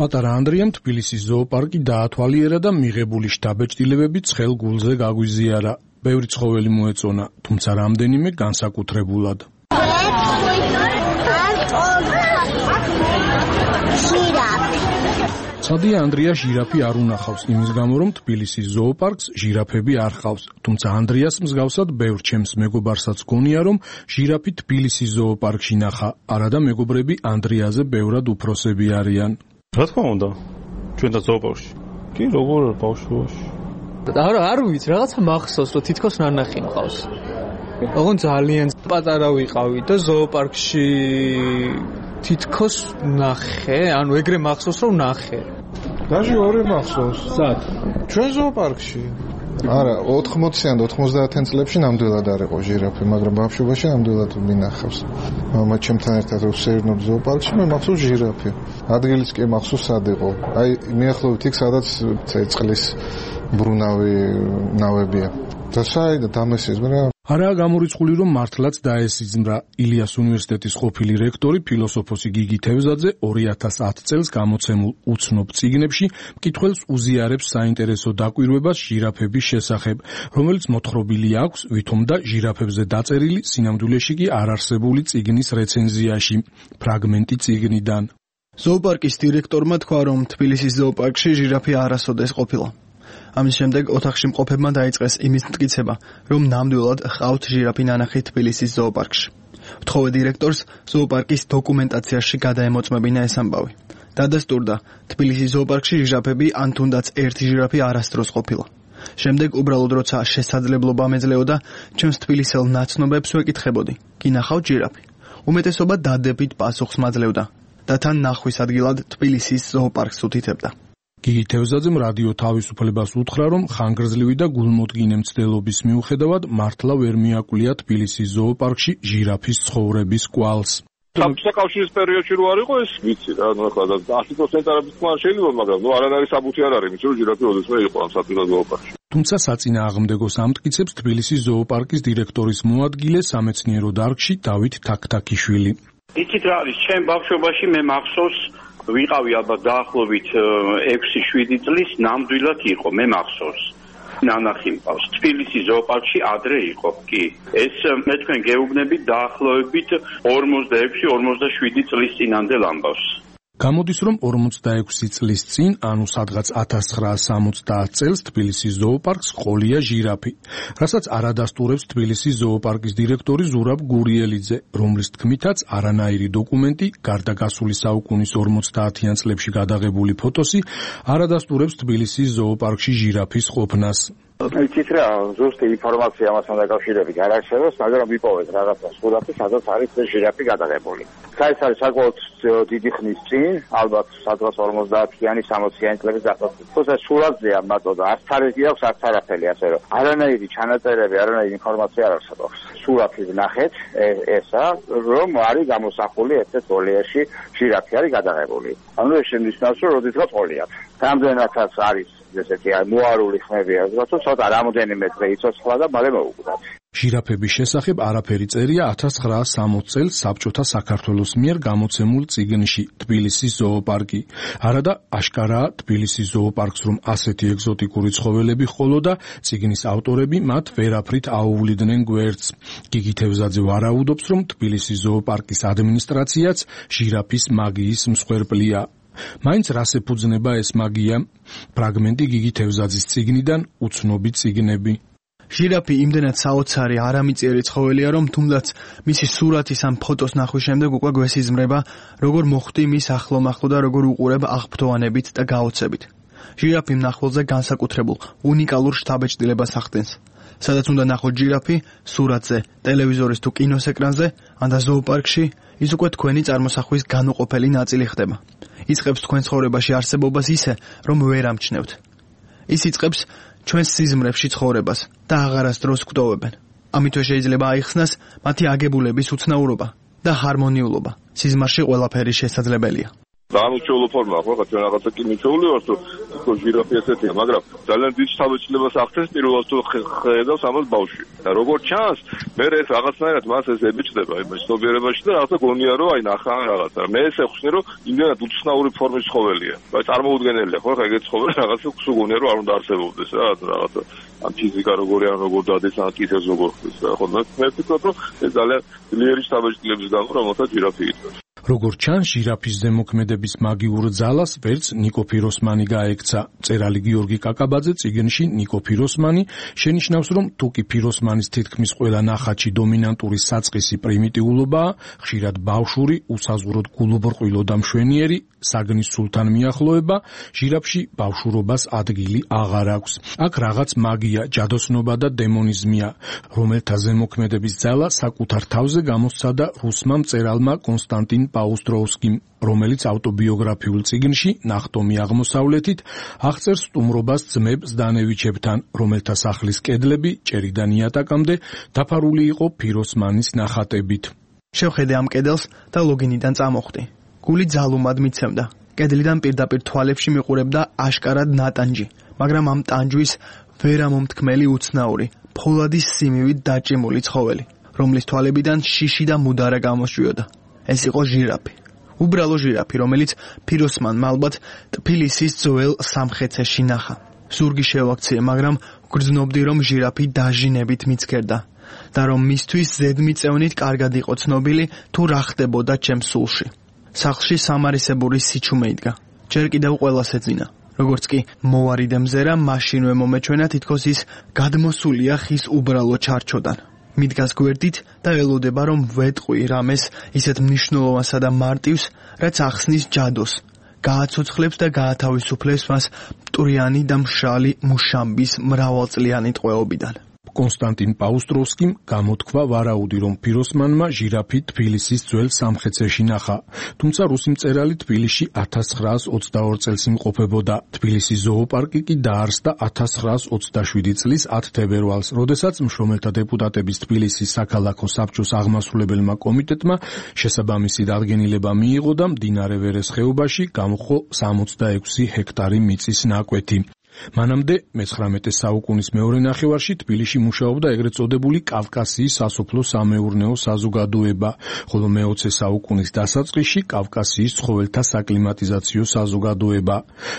R: პატარა ანდრიამ თბილისის ზოოპარკი დაათვალიერა და მიღებული შთაბეჭდილებები ცხელ გულზე გაგვიზიარა. ბევრი ცხოველი მოეწონა, თუმცა რამდენიმე განსაკუთრებულად. ცადია ანდრია ჟირაფი არ უნახავს იმის გამო, რომ თბილისის ზოოპარკს ჟირაფები არ ხავს. თუმცა ანდრიას მსგავსად ბევრ ჩემს მეგობარსაც გონია, რომ ჟირაფი თბილისის ზოოპარკში ნახა. არადა მეგობრები ანდრიაზე ბევრად უფროსები არიან.
S: რა თქმა უნდა, ჩვენ და ზოოპარკში. კი, როგორ ბავშვობაში.
T: არა, არ ვიცი, რაღაცა მახსოვს, რომ თითქოს ნანახი მყავს. ოღონ ძალიან პატარა ვიყავი და ზოოპარკში თითქოს ნახე, ანუ ეგრე მახსოვს რომ ნახე.
U: დაჟე ორი მახსოვს.
T: სად?
U: ჩვენ ზოოპარკში. არა, ოთხმოციან და ოთხმოცდაათიან წლებში ნამდვილად არ იყო ჟირაფი, მაგრამ ბავშვობაში ნამდვილად მინახავს. მამა ჩემთან ერთად ვსეირნობ ზოოპარკში, მე მახსოვს ჟირაფი. ადგილიც კი მახსოვს სად იყო. აი, მიახლოვით იქ, სადაც წყლის ბრუნავი ნავებია. და საერთოდ დამესიზმრა.
R: არაა გამორიცხული, რომ მართლაც დაესიზმრა. ილიას უნივერსიტეტის ყოფილი რექტორი ფილოსოფოსი გიგი თევზაძე ორი ათას ათი წელს გამოცემულ უცნობ წიგნებში მკითხველს უზიარებს საინტერესო დაკვირვებას ჟირაფების შესახებ, რომელიც მოთხრობილი აქვს ვითომ და ჟირაფებზე დაწერილი სინამდვილეში კი არარსებული წიგნის რეცენზიაში, ფრაგმენტი წიგნიდან.
V: ზოოპარკის დირექტორმა თქვა, რომ თბილისის ზოოპარკში ჟირაფი არასოდეს ყოფილა. ამის შემდეგ ოთახში მყოფებმა დაიწყეს იმის მტკიცება, რომ ნამდვილად ჰყავთ ჟირაფი ნანახი თბილისის ზოოპარკში. ვთხოვე დირექტორს ზოოპარკის დოკუმენტაციაში გადაემოწმებინა ეს ამბავი. დადასტურდა თბილისის ზოოპარკში ჟირაფები ან თუნდაც ერთი ჟირაფი არასდროს ყოფილა. შემდეგ უბრალოდ როცა შესაძლებლობა ამეძლეოდა, ჩემს თბილისელ ნაცნობებს ვეკითხებოდი: "კი ნახავთ ჟირაფი?" უმეტესობა დადებით პასუხს მაძლევდა და თან ნახვის ადგილად თბილისის ზოოპარკს უთითებდა.
R: გიგი თევზაძემ რადიო თავისუფლებას უთხრა, რომ ხანგრძლივი და გულმოდგინე მცდელობის მიუხედავად მართლა ვერ მიაკვლია თბილისის ზოოპარკში ჟირაფის ცხოვრების კვალს.
D: საბჭოთა კავშირის პერიოდში რო არ იყო ეს ვიცი რა, ნუ ახლა ათი პროცენტი არაფერს თქვა შეიძლება, მაგრამ ნუ არანაირი საბუთი არ არის, რომ ჟირაფი ოდესმე იყო ამ საბჭოთა ზოოპარკში.
R: თუმცა საწინააღმდეგოს ამტკიცებს თბილისის ზოოპარკის დირექტორის მოადგილე სამეცნიერო დარგში დავით თაქთაქიშვილი.
E: იცით რა არის, ჩემ ბავშვობაში მე მახსოვს ვიყავი ალბათ დაახლოებით ექვსი შვიდი წლის, ნამდვილად იყო, მე მახსოვს. ნანახი მყავს. თბილისის ზოოპარკში ადრე იყო, კი. ეს მე თქვენ გეუბნებით დაახლოებით ორმოცდაექვსი ორმოცდაშვიდი წლის წინანდელ ამბავს.
R: გამოდის, რომ ორმოცდაექვსი წლის წინ, ანუ სადღაც ათას ცხრაას სამოცდაათ წელს თბილისის ზოოპარკს ყოლია ჟირაფი, რასაც არადასტურებს თბილისის ზოოპარკის დირექტორი ზურაბ გურიელიძე, რომლის თქმითაც არანაირი დოკუმენტი, გარდა გასული საუკუნის ორმოცდაათიან წლებში გადაღებული ფოტოსი, არადასტურებს თბილისის ზოოპარკში ჟირაფის ყოფნას.
W: იცით რა, ზუსტი ინფორმაცია ამასთან დაკავშირებით არ არსებობს, მაგრამ ვიპოვეთ რაღაცა სურათი, სადაც არის ეს ჟირაფი გადაღებული. ეს არის საკმაოდ დიდი ხნის წინ, ალბათ სადღაც ორმოცდაათიანი სამოციანი წლების დასაწყისში. თუმცა სურათზეა მარტო და არც თარიღი აქვს, არც არაფერი, ასე რომ არანაირი ჩანაწერები, არანაირი ინფორმაცია არ არსებობს. სურათი ვნახეთ, ესა, რომ არის გამოსახული ერთ-ერთ გოლიაში ჟირაფი არის გადაღებული. ანუ ეს შემნიშნავს, რომ როდესაც ყოლიათ. რამდენადაც არის ესეთი მოარული ხმები, ასე ცოტა რამოდენიმე დღე იცოცხლა და მალე მოუკვდათ.
R: ჟირაფების შესახებ არაფერი წერია ათას ცხრაას სამოცდაათ წელს საბჭოთა საქართველოს მიერ გამოცემულ წიგნში თბილისის ზოოპარკი. არადა აშკარაა თბილისის ზოოპარკს რომ ასეთი ეგზოტიკური ცხოველები ჰყოლოდა, წიგნის ავტორები მათ ვერაფრით აუვლიდნენ გვერდს. გიგი თევზაძე ვარაუდობს, რომ თბილისის ზოოპარკის ადმინისტრაციაც ჟირაფის მაგიის მსხვერპლია. მაინც რას ეფუძნება ეს მაგია? ფრაგმენტი გიგი თევზაძის წიგნიდან უცნობი წიგნები.
V: ჟირაფი იმდენად საოცარი არამიწიერი ცხოველია, რომ თუნდაც მისი სურათის ან ფოტოს ნახვის შემდეგ უკვე გვესიზმრება, როგორ მოხვდი მის ახლომახლო და როგორ უყურებ აღფრთოვანებით და გაოცებით. ჟირაფი მნახველზე განსაკუთრებულ, უნიკალურ შთაბეჭდილებას ახდენს. სადაც უნდა ნახოთ ჟირაფი, სურათზე, ტელევიზორის თუ კინოს ეკრანზე, ან და ზოოპარკში, ის უკვე თქვენი წარმოსახვის განუყოფელი ნაწილი ხდება. იწყებს თქვენ ცხოვრებაში არსებობას ისე, რომ ვერ ამჩნევთ. ის იწყებს ჩვენს სიზმრებში ცხოვრებას და აღარასდროს გვტოვებენ. ამითვე შეიძლება აიხსნას მათი აგებულების უცნაურობა და ჰარმონიულობა. სიზმარში ყველაფერი შესაძლებელია.
D: დაამოჩეულო ფორმა ხო, რა ჩვენ რაღაცა კი მიჩეული ვარ, თუ თქო ჟირაფი ესეთია, მაგრამ ძალიან დიდ შთაბეჭდილებას ახდენს პირველად თუ ხედავს ამას ბავშვი. და როგორც ჩანს, მე ეს რაღაცნაირად მას ეს ებიჭდება იმ ცნობიერებაში და რაღაცა გონია რომ აი ნახა რაღაცა. მე ეს ეხსნი რომ იმდენად უცნაური ფორმის ცხოველია. აი წარმოუდგენელია ხო, ხა ეგეთ ცხოველი რაღაცა სულ გონია რომ არ უნდა არსებობდეს რა, რაღაცა ამ ფიზიკა როგორი ან როგორ დადეს ან კისერს როგორ ხდის რა, ხო და მე ვფიქრობ რომ ეს ძალიან ძლიერი შთაბეჭდილების გამო რომელსაც ჟირაფი იწვევს.
R: როგორც ჩანს, ჟირაფის ზემოქმედების მაგიურ ძალას ვერც ნიკო ფიროსმანი გაექცა. მწერალი გიორგი კაკაბაძე წიგნში ნიკო ფიროსმანი შენიშნავს, რომ თუკი ფიროსმანის თითქმის ყველა ნახატში დომინანტური საწყისი პრიმიტიულობაა, ხშირად ბავშვური, უსაზღვროდ გულუბრყვილო და მშვენიერი, საგნის სულთან მიახლოება, ჟირაფში ბავშვურობას ადგილი აღარ აქვს. აქ რაღაც მაგია, ჯადოსნობა და დემონიზმია, რომელთა ზემოქმედების ძალა საკუთარ თავზე გამოსცადა რუსმა მწერალმა კონსტანტინ პაუსტროვსკიმ, რომელიც ავტობიოგრაფიულ წიგნში ნახტომი აღმოსავლეთით აღწერს სტუმრობას ძმებ ზდანევიჩებთან, რომელთა სახლის კედლები ჭერიდან იატაკამდე დაფარული იყო ფიროსმანის ნახატებით.
V: შევხედე ამ კედელს და ლოგინიდან წამოხდი. გული ძალუმად მიცემდა. კედლიდან პირდაპირ თვალებში მიყურებდა აშკარად ნატანჯი, მაგრამ ამ ტანჯვის ვერამომთქმელი უცნაური, ფოლადის სიმივით დაჭიმული ცხოველი, რომლის თვალებიდან შიში და მუდარა გამოსჭვიოდა. ეს იყო ჟირაფი. უბრალო ჟირაფი, რომელიც ფიროსმანმა ალბათ თბილისის ძველ სამხეცეში ნახა. ზურგი შევაქციე, მაგრამ გრძნობდი, რომ ჟირაფი დაჟინებით მიცქერდა და რომ მისთვის ზედმიწევნით კარგად იყო ცნობილი თუ რა ხდებოდა ჩემს სულში. სახლში სამარისებური სიჩუმე იდგა. ჯერ კიდევ ყველას ეძინა. როგორც კი მოვარიდე მზერა, მაშინვე მომეჩვენა თითქოს ის გადმოსულია ხის უბრალო ჩარჩოდან. მიდგას გვერდით და ელოდება, რომ ვეტყვი რამეს ისეთ მნიშვნელოვანსა და მარტივს, რაც ახსნის ჯადოს, გააცოცხლებს და გაათავისუფლებს მას მტვრიანი და მშრალი მუშამბის მრავალწლიანი ტყვეობიდან.
R: კონსტანტინ პაუსტროვსკიმ გამოთქვა ვარაუდი, რომ ფიროსმანმა ჟირაფი თბილისის ძველ სამხეცეში ნახა. თუმცა რუსი მწერალი თბილისში ათას ცხრაას ოცდაორ წელს იმყოფებოდა. თბილისის ზოოპარკი კი დაარსდა ათას ცხრაას ოცდაშვიდი წლის ათ თებერვალს, როდესაც მშრომელთა დეპუტატების თბილისის საქალაქო საბჭოს აღმასრულებელმა კომიტეტმა შესაბამისი დადგენილება მიიღო და მდინარე ვერეს ხეობაში გამოხო სამოცდაექვსი ჰექტარი მიწის ნაკვეთი. მანამდე მეცხრამეტე საუკუნის მეორე ნახევარში თბილისში მუშაობდა ეგრეთ წოდებული კავკასიის სასოფლო-სამეურნეო საზოგადოება, ხოლო მეოცე საუკუნის დასაწყისში კავკასიის ცხოველთა საკლიმატიზაციო საზოგადოება.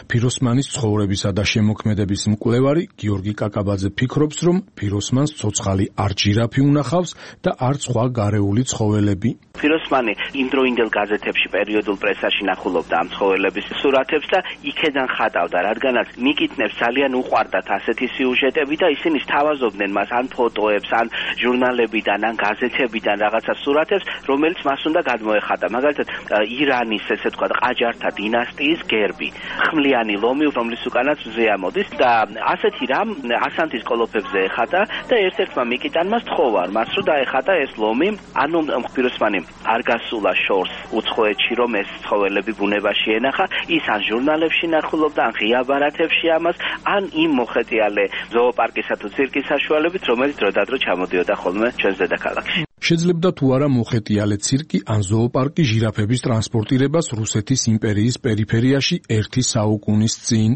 R: ფიროსმანის ცხოვრებისა და შემოქმედების მკვლევარი გიორგი კაკაბაძე ფიქრობს, რომ ფიროსმანს ცოცხალი არ ჟირაფი უნახავს და არ სხვა გარეული ცხოველები.
F: ფიროსმანი იმდროინდელ გაზეთებში პერიოდულ პრესაში ნახულობდა ამ ცხოველების სურათებს და იქედან ხატავდა, რადგანაც მიკითხნებს ძალიან უყვარდათ ასეთი სიუჟეტები და ისინი სთავაზობდნენ მას ან ფოტოებს, ან ჟურნალებიდან, ან გაზეთებიდან რაღაცა სურათებს, რომელიც მას უნდა გადმოეხატა. მაგალითად, ირანის, ესე თქვა, ყაჯართა დინასტიის გერბი, ხმლიანი ლომი, რომლის უკანაც მზე ამოდის და ასეთი რამ ასანთის კოლოფებზე ეხატა და ერთ-ერთმა მიკიტანმა სთხოვა მას, რომ დაეხატა ეს ლომი, ანუ ფიროსმანი არ გასულა შორს უცხოეთში, რომ ეს ცხოველები ბუნებაში ენახა, ის ან ჟურნალებში ნახულობდა, ან ღია ბარათებში ამას, ან იმ მოხეტიალე ზოოპარკისა თუ ცირკის საშუალებით, რომელიც დროდადრო ჩამოდიოდა ხოლმე ჩვენს დედაქალაქში.
R: შეძლებდა თუ არა მოხეტიალე ცირკი ან ზოოპარკი ჟირაფების ტრანსპორტირებას რუსეთის იმპერიის პერიფერიაში ერთი საუკუნის წინ.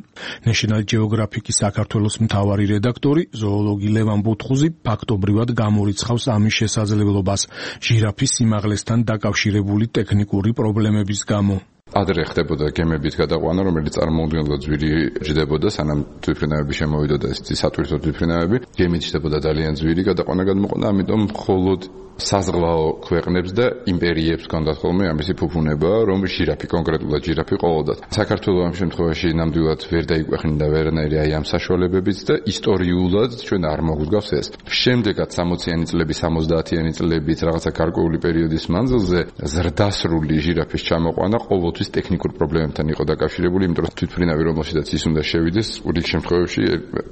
R: National Geographic-ის საქართველოს მთავარი რედაქტორი, ზოოლოგი ლევან ბუთხუზი ფაქტობრივად გამორიცხავს ამის შესაძლებლობას ჟირაფის სიმაღლესთან დაკავშირებული ტექნიკური პრობლემების გამო.
I: ადრე ხდებოდა გემებით გადაყვანა, რომელიც წარმოუდგენლად ძვირი ჯდებოდა, სანამ თვითმფრინავები შემოვიდოდა, ეს სატვირთო თვითმფრინავები, გემით ჯდებოდა ძალიან ძვირი გადაყვანა გადმოყვანა, ამიტომ მხოლოდ საზღვაო ქვეყნებს და იმპერიებს ჰქონდათ ხოლმე ამისი ფუფუნება, რომ ჟირაფი, კონკრეტულად ჟირაფი ყოლოდათ. საქართველოს ამ შემთხვევაში ნამდვილად ვერ დაიკვეხნიდა ვერანაირი აი ამ საშუალებებიც და ისტორიულად ჩვენ არ მოგვგავს ეს. შემდეგაც სამოციანი წლები, სამოცდაათიანი წლებით რაღაცა გარკვეული პერიოდის მანძილზე ზრდასრული ჟირაფის ჩამოყვანა ყოველთვის ტექნიკურ პრობლემებთან იყო დაკავშირებული, იმიტომ რომ თვითმფრინავი რომელშიც ის უნდა შევიდეს, რიგ შემთხვევებში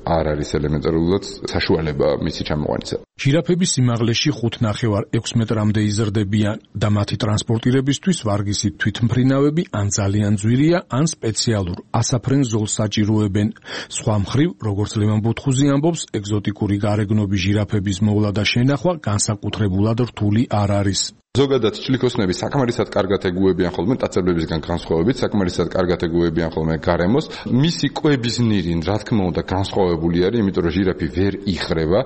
I: არ არის ელემენტარულად საშუალება მისი ჩამოყვანისა.
R: ჟირაფების სიმაღლეში ხუთ ნახევარ ექვს მეტრამდე იზრდებიან და მათი ტრანსპორტირებისთვის ვარგისით თვითმფრინავები ან ძალიან ძვირია, ან სპეციალურ ასაფრენ ზოლს საჭიროებენ. სხვა მხრივ, როგორც ლევან ბუთხუზი ამბობს, ეგზოტიკური გარეგნობის ჟირაფების მოვლა და შენახვა განსაკუთრებულად რთული არ არის.
I: ზოგადად ჭლიქოსნები საკმარისად კარგად ეგუებიან ხოლმე ტაცებლებისგან განსხვავებით, საკმარისად კარგად ეგუებიან ხოლმე გარემოს. მისი კვების ნირი, რა თქმა უნდა, განსხვავებული არის, იმიტომ რომ ჟირაფი ვერ იხრება.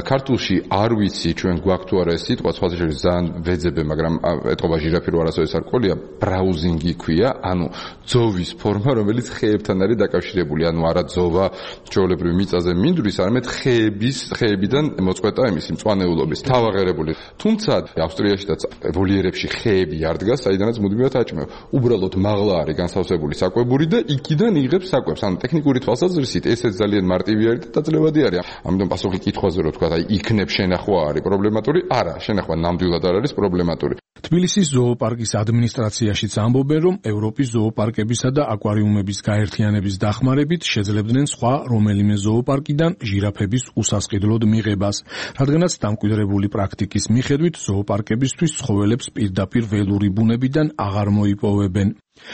I: ქართულში არ ვიცი ჩვენ გვაქვს თუ არა ეს სიტყვა, სხვა შეიძლება ძალიან ვეძებე, მაგრამ ეთყობა ჟირაფი რო არასოდეს არ ყოლია, ბრაუზინგი ქვია, ანუ ძოვის ფორმა, რომელიც ხეებთან არის დაკავშირებული, ანუ არა ძოვა ჩვეულებრივ მიწაზე მინდვრის, არამედ ხეების, ხეებიდან მოწყვეტა იმისი მწვანეულობის. თავაღერებული. თუმცა ავსტრიაში და ვოლიერებში ხეები არ დგას, საიდანაც მუდმივად აჭმევ. უბრალოდ მაღლა არის განსავსებული საკვებური და იქიდან იღებს საკვებს. ანუ ტექნიკური თვალსაზრისით ესეც ძალიან მარტივი არის და დაძლებადი არის. ამიტომ პასუხი კითხვაზე რო თქვა, აი იქნებ შენახვა არის პრობლემატური? არა, შენახვა ნამდვილად არ არის პრობლემატური.
R: თბილისის ზოოპარკის ადმინისტრაციაშიც ამბობენ, რომ ევროპის ზოოპარკებისა და აკვარიუმების გაერთიანების დახმარებით შეძლებდნენ სხვა რომელიმე ზოოპარკიდან ჟირაფების უსასყიდლოდ მიღებას, რადგანაც დამკვიდრებული პრაქტიკის მიხედვით ზოოპარკებისთვის ცხოველებს პირდაპირ ველური ბუნებიდან აღარ მოიპოვებენ.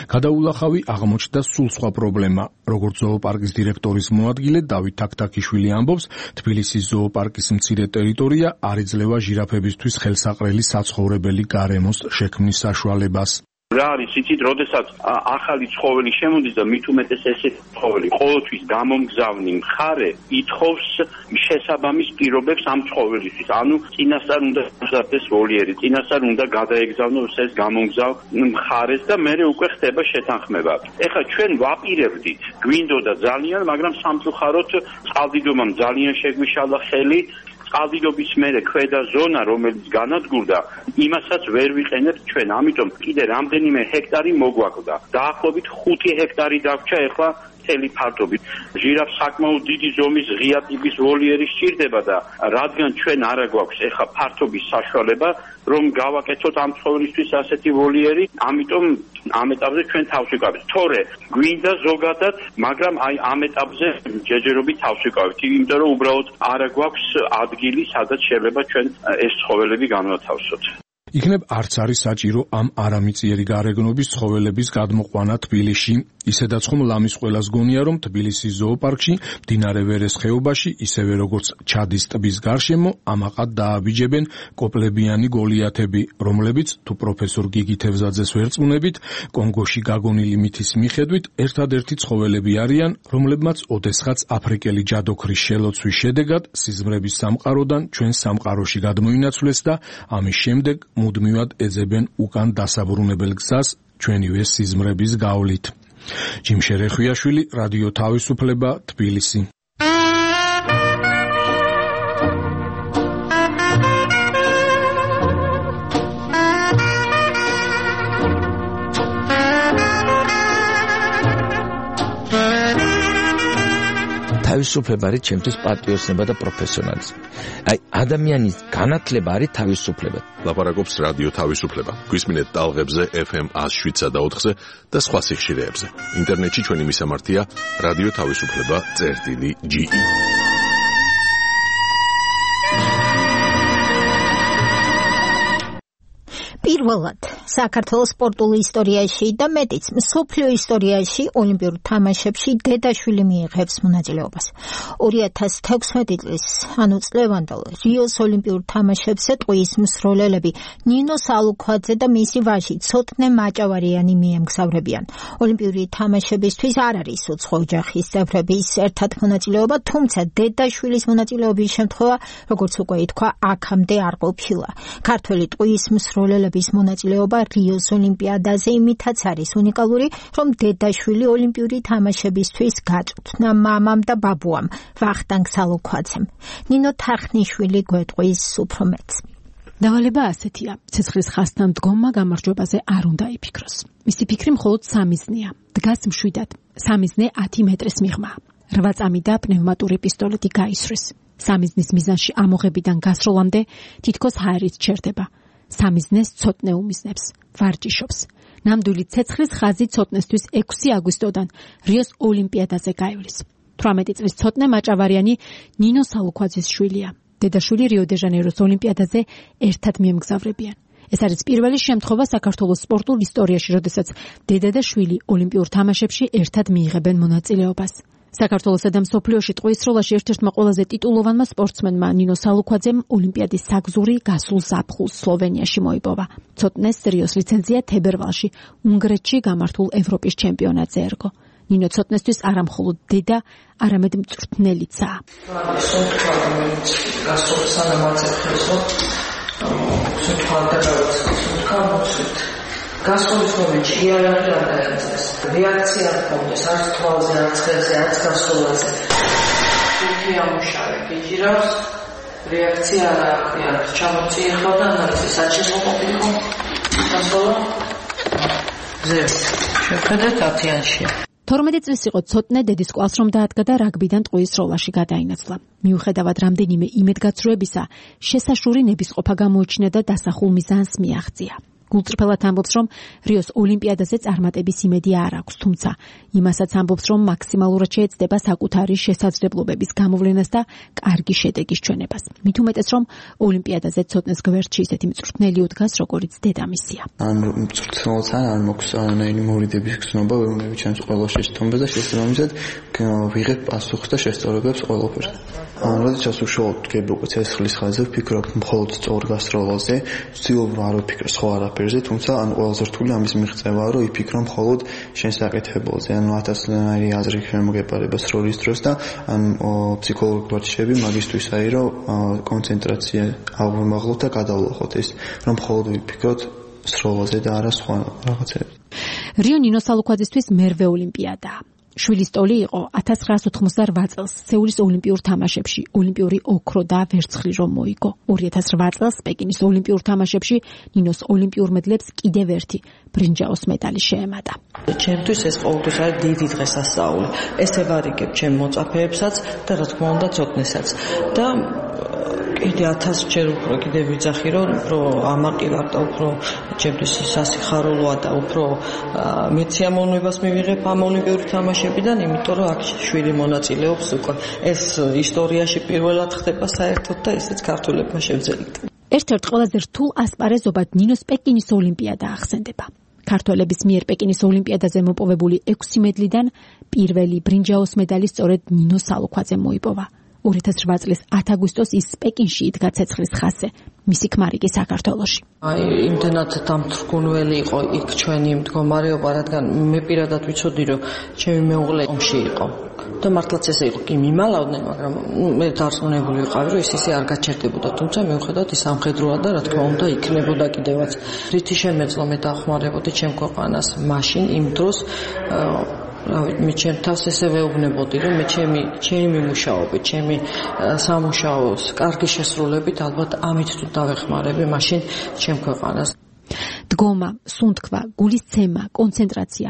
R: გადაულახავი აღმოჩნდა სულ სხვა პრობლემა. როგორც ზოოპარკის დირექტორის მოადგილე დავით თაქთაქიშვილი ამბობს, თბილისის ზოოპარკის მცირე ტერიტორია არ იძლევა ჟირაფებისთვის ხელსაყრელი საცხოვრებელი გარემოს შექმნის საშუალებას.
E: რა არის იცით, როდესაც ახალი ცხოველი შემოდის და მით უმეტეს ესეთი ცხოველი ყოველთვის გამომგზავნი მხარე ითხოვს შესაბამის პირობებს ამ ცხოველისთვის. ანუ წინასწარ უნდა გაზარდეს ვოლიერი, წინასწარ უნდა გადაეგზავნოს ეს გამომგზავ მხარეს და მერე უკვე ხდება შეთანხმება. ეხლა ჩვენ ვაპირებდით, გვინდოდა ძალიან, მაგრამ სამწუხაროდ წყალდიდობამ ძალიან შეგვიშალა ხელი. წყალდიდობის მერე ქვედა ზონა, რომელიც განადგურდა, იმასაც ვერ ვიყენებთ ჩვენ. ამიტომ კიდე რამდენიმე ჰექტარი მოგვაკლდა. დაახლოებით ხუთი ჰექტარი დაგვრჩა ეხლა მთელი ფართობით. ჟირაფს საკმაოდ დიდი ზომის ღია ტიპის ვოლიერი სჭირდება და რადგან ჩვენ არა გვაქვს ეხა ფართობის საშუალება, რომ გავაკეთოთ ამ ცხოველისთვის ასეთი ვოლიერი, ამიტომ ამ ეტაპზე ჩვენ თავს ვიკავებთ. თორე გვინდა ზოგადად, მაგრამ აი ამ ეტაპზე ჯერჯერობით თავს ვიკავებთ, იმიტომ რომ უბრალოდ არა გვაქვს ადგილი, სადაც შეიძლება ჩვენ ეს ცხოველები განვათავსოთ.
R: იქნებ არც არის საჭირო ამ არამიწიერი გარეგნობის ცხოველების გადმოყვანა თბილისში. ისედაც ხომ ლამის ყველას გონია, რომ თბილისის ზოოპარკში, მდინარე ვერეს ხეობაში, ისევე როგორც ჩადის ტბის გარშემო, ამაყად დააბიჯებენ კოპლებიანი გოლიათები, რომლებიც თუ პროფესორ გიგი თევზაძეს ვერწმუნებით, კონგოში გაგონილი მითის მიხედვით, ერთადერთი ცხოველები არიან, რომლებმაც ოდესღაც აფრიკელი ჯადოქრის შელოცვის შედეგად სიზმრების სამყაროდან ჩვენ სამყაროში გადმოინაცვლეს და ამის შემდეგ მუდმივად ეძებენ უკან დასაბრუნებელ გზას ჩვენივე სიზმრების გავლით. ჯიმშე რეხვიაშვილი, რადიო თავისუფლება, თბილისი.
G: თავისუფლება არის ჩემთვის პატრიოტიზმი და პროფესიონალიზმი. აი ადამიანის განათლება არის თავისუფლება.
A: ლაპარაკობს რადიო თავისუფლება. გვისმინეთ ტალღებზე ეფ ემ one oh seven და ოთხზე და სხვა სიხშირეებზე. ინტერნეტში ჩვენი მისამართია რადიო თავისუფლება წერტილი ჯი ი.
B: პირველად საქართველოს სპორტულ ისტორიაში და მეტიც მსოფლიო ისტორიაში ოლიმპიურ თამაშებში დედაშვილი მიიღებს მონაწილეობას. ორი ათას თექვსმეტი წლის ანუ წლევანდელ რიოს ოლიმპიურ თამაშებზე ტყუის მსროლელები ნინო სალუქვაძე და მისი ვაჟი ცოტნე მაჭავარიანი მიემგზავრებიან. ოლიმპიური თამაშებისთვის არ არის უცხო ოჯახის წევრების ერთად მონაწილეობა, თუმცა დედაშვილის მონაწილეობის შემთხვევა, როგორც უკვე ითქვა, აქამდე არ ყოფილა. ქართველი ტყუის მსროლელები მონაწილეობა რიოს ოლიმპიადაზე იმითაც არის უნიკალური, რომ დედაშვილი ოლიმპიური თამაშებისთვის გაწვრთნა მამამ და ბაბუამ, ვახტანგ სალუქვაძემ. ნინო თახნიშვილი გვეტყვის უფრო მეტს.
J: დავალება ასეთია: ცეცხლის ხასთან მდგომმა გამარჯვებაზე არ უნდა იფიქროს. მისი ფიქრი მხოლოდ სამიზნეა. დგას მშვიდად. სამიზნე ათი მეტრის მიღმა. რვა წამი და პნევმატური პისტოლეტი გაისვრის. სამიზნის მიზანში ამოღებიდან გასროლამდე თითქოს ჰაერით ჩერდება. სამიზნეს ცოტნე უმიზნებს, ვარჯიშობს. ნამდვილი ცეცხლის ხაზი ცოტნესთვის ექვსი აგვისტოდან რიოს ოლიმპიადაზე გაივლის. თვრამეტი წლის ცოტნე მაჭავარიანი ნინო სალუქვაძის შვილია. დედაშვილი რიო-დე-ჟანეიროს ოლიმპიადაზე ერთად მიემგზავრებიან. ეს არის პირველი შემთხვევა საქართველოს სპორტულ ისტორიაში, როდესაც დედა და შვილი ოლიმპიურ თამაშებში ერთად მიიღებენ მონაწილეობას. საქართველოსა და მსოფლიოში ტყუის სროლაში ერთ-ერთმა ყველაზე ტიტულოვანმა სპორტსმენმა ნინო სალუქვაძემ ოლიმპიადის საგზური გასულ ზაფხულს სლოვენიაში მოიპოვა. ცოტნეს რიოს ლიცენზია თებერვალში უნგრეთში გამართულ ევროპის ჩემპიონატზე ერგო. ნინო ცოტნესთვის არა მხოლოდ დედა, არამედ მწვრთნელიცაა.
K: გასულის მომენტში იარაღი არ დაიწეს. რეაქცია ჰქონდეს არც თვალზე, არც ხელზე, არც გასულაზე. თითი ამუშავე გიჯირავს, რეაქცია არ აქვს, არ ჩამოწიეხო და ნაცი საჭირო ყოფილიყო. გასულა ზე შეხედეთ ათიანში.
J: თორმეტი წლის იყო ცოტნე დედის კვალს რომ დაადგა და რაგბიდან ტყუის სროლაში გადაინაცვლა. მიუხედავად რამდენიმე იმედგაცრუებისა, შესაშური ნებისყოფა გამოიჩინა და დასახულ მიზანს მიაღწია. გულწრფელად ამბობს, რომ რიოს ოლიმპიადაზე წარმატების იმედი არ აქვს, თუმცა იმასაც ამბობს, რომ მაქსიმალურად შეეცდება საკუთარი შესაძლებლობების გამოვლენას და კარგი შედეგის ჩვენებას. მით უმეტეს, რომ ოლიმპიადაზე ცოტნეს გვერდში ისეთი მწვრთნელი უდგას, როგორც დედამისია.
V: ან მწვრთნელთან არ მოქვს არანაირი მორიდების გზნობა, რომლებიც ჩემს ყველა შეცდომებს და შესაბამისად ვიღებ პასუხს და შესწავლებს ყველაფერს. ან როდესაც უშუალოდ გები უკვე ცეცხლის ხაზზე ვფიქრობ მხოლოდ სწორ გასროლაზე, ვცდილობ არ ვფიქრ სხვა არაფერზე, თუმცა ან ყველაზე რთული ამის მიღწევაა, რომ იფიქრო მხოლოდ შენ საკეთებელზე, ანუ ათასნაირი აზრი შემოგეპარება სროლის დროს და ან ფსიქოლოგიური ვარჯიშები მაგისტვის აი რომ კონცენტრაცია ავმაღლოთ და გადავლახოთ ეს, რომ მხოლოდ ვიფიქროთ სროლაზე და არა სხვა რაღაცებზე.
J: რიო ნინო სალუქვაძისთვის მერვე ოლიმპიადაა. შვილის ტოლი იყო ათას ცხრაას ოთხმოცდაოთხ წელს სეულის ოლიმპიურ თამაშებში ოლიმპიური ოქრო და ვერცხლი რომ მოიგო. ორი ათას რვა წელს პეკინის ოლიმპიურ თამაშებში ნინოს ოლიმპიურ მედლებს კიდევ ერთი ბრინჯაოს medali შეემატა.
K: ჩემთვის ეს ყოველთვის არის დიდი დღესასწაული. ეს ევარიგებ ჩემ მოწაფეებსაც და რა თქმა უნდა ცოდნესაც. და კიდე ათასჯერ უფრო კიდე ვიძახი რომ უფრო ამაყივარ და უფრო ჩემთვის სასიხარულოა და უფრო მეც სიამოვნებას მივიღებ ამ ოლიმპიური თამაშებიდან, იმიტომ რომ აქ შვილი მონაწილეობს უკვე. ეს ისტორიაში პირველად ხდება საერთოდ და ესეც ქართველებმა შევძელით.
J: ერთ-ერთ ყველაზე რთულ ასპარეზობად ნინოს პეკინის ოლიმპიადა ახსენდება. ქართველების მიერ პეკინის ოლიმპიადაზე მოპოვებული ექვსი მედლიდან პირველი ბრინჯაოს medali სწორედ ნინო სალუქვაძემ მოიპოვა. ორი ათას რვა წლის ათ აგვისტოს ის პეკინში იდგა ცეცხლის ხაზზე, მისი ქმარი კი საქართველოში.
K: აი, იმდენად დამთრგუნველი იყო იქ ჩვენი მდგომარეობა, რადგან მე პირადად ვიცოდი, რომ ჩემი მეუღლე ომში იყო. და მართლაც ესე იყო, კი მიმალავდნენ, მაგრამ მე დარწმუნებული ვიყავი, რომ ის ისე არ გაჩერდებოდა, თუმცა მიუხედავად ის სამხედროა და რა თქმა უნდა იქნებოდა კიდევაც. რითი შემეძლო მე დავხმარებოდი ჩემ ქვეყანას მაშინ იმ დროს რავი, მე ჩემ თავს ესე ვეუბნებოდი, რომ მე ჩემი ჩემი მუშაობით, ჩემი სამუშაოს კარგი შესრულებით ალბათ ამით თუ დავეხმარები მაშინ ჩემ ქვეყანას.
J: დგომა, სუნთქვა, გულის ცემა, კონცენტრაცია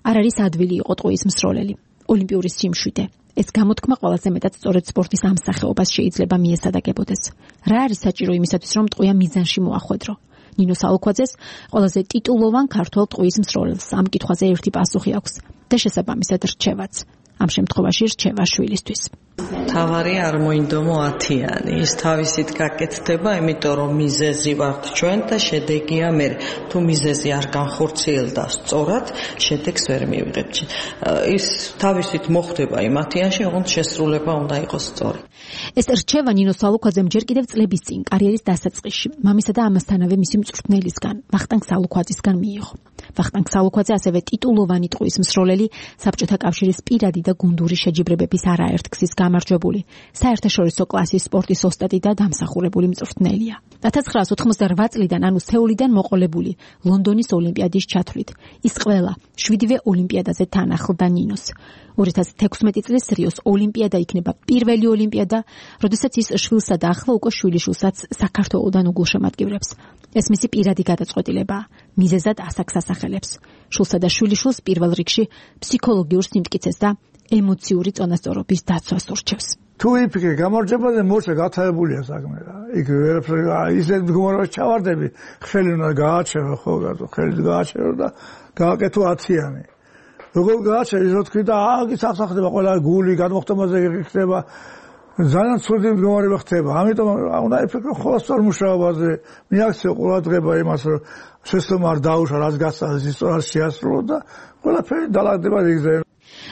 J: არ არის ადვილი იყო ტყუის მსროლელი. ოლიმპიური სიმშვიდე. ეს გამოთქმა ყველაზე მეტად სწორედ სპორტის ამ სახეობას შეიძლება მიესადაგებოდეს. რა არის საჭირო იმისათვის, რომ ტყუია მიზანში მოახვედრო? ნინო სალუქვაძეს ყველაზე ტიტულოვან ქართველ ტყუის მსროლელს ამ კითხვაზე ერთი პასუხი აქვს და შესაბამისად რჩევაც. ამ შემთხვევაში რჩევა შვილისთვის.
K: თავარი არ მოინდომო ათიანი, ის თავისით გაკეთდება, იმიტომ რომ მიზეზი ვართ ჩვენ და შედეგია მე. თუ მიზეზი არ განხორციელდა სწორად, შედეგს ვერ მივიღებთ. ის თავისით მოხდება იმ ათიანში, ოღონდ შესრულება უნდა იყოს სწორი.
J: ეს რჩევა ნინო სალუქვაძემ ჯერ კიდევ წლების წინ კარიერის დასაწყისში, მამისა და ამასთანავე მისი მწვრთნელისგან, ვახტანგ სალუქვაძისგან მიიღო. ვახტანგ სალუქვაძე ასევე ტიტულოვანი ტყუის მსროლელი, საბჭოთა კავშირის პირადი და გუნდური შეჯიბრებების არაერთ გზის გამარჯვებული, საერთაშორისო კლასის სპორტის ოსტატი და დამსახურებული მწვრთნელია. ათას ცხრაას ოთხმოცდარვა წლიდან, ანუ სეულიდან მოყოლებული ლონდონის ოლიმპიადის ჩათვლით, ის ყველა შვიდივე ოლიმპიადაზე თან ახლდა ნინოს. ორი ათას თექვსმეტი წლის რიოს ოლიმპიადა იქნება პირველი ოლიმპიადა, როდესაც ის შვილსა და ახლა უკვე შვილიშვილსაც საქართველოდან უგულშემატკივრებს. ეს მისი პირადი გადაწყვეტილებაა, მიზეზად ასაკს ასახელებს. შვილსა და შვილიშვილს პირველ რიგში ფსიქოლოგიურ სიმტკიცეს და ემოციური წონასწორობის დაცვას ურჩევს.
H: თუ იფიქრე გამარჯვებაზე მოშე გათაებულია საქმე რა. იქ ისეთ მდგომარეობაში ჩავარდები, ხელი უნდა გააჩერო, ხო გაწო, ხელი გააჩერო და გააკეთო ათიანი. როგორ გააჩერე, ისე თქვი და აგის ახსახდება ყველა გული გადმოხტომაზე ხდება. ძალიან ცუდი მდგომარეობა ხდება. ამიტომ უნდა იფიქრო ხოლმე მუშაობაზე, მიაქციო ყურადღება იმას, რომ შესწორმა არ დაუშვა, რაც გასწავლეს, ის სწორად შეასრულო და ყველაფერი დალაგდება რიგზე.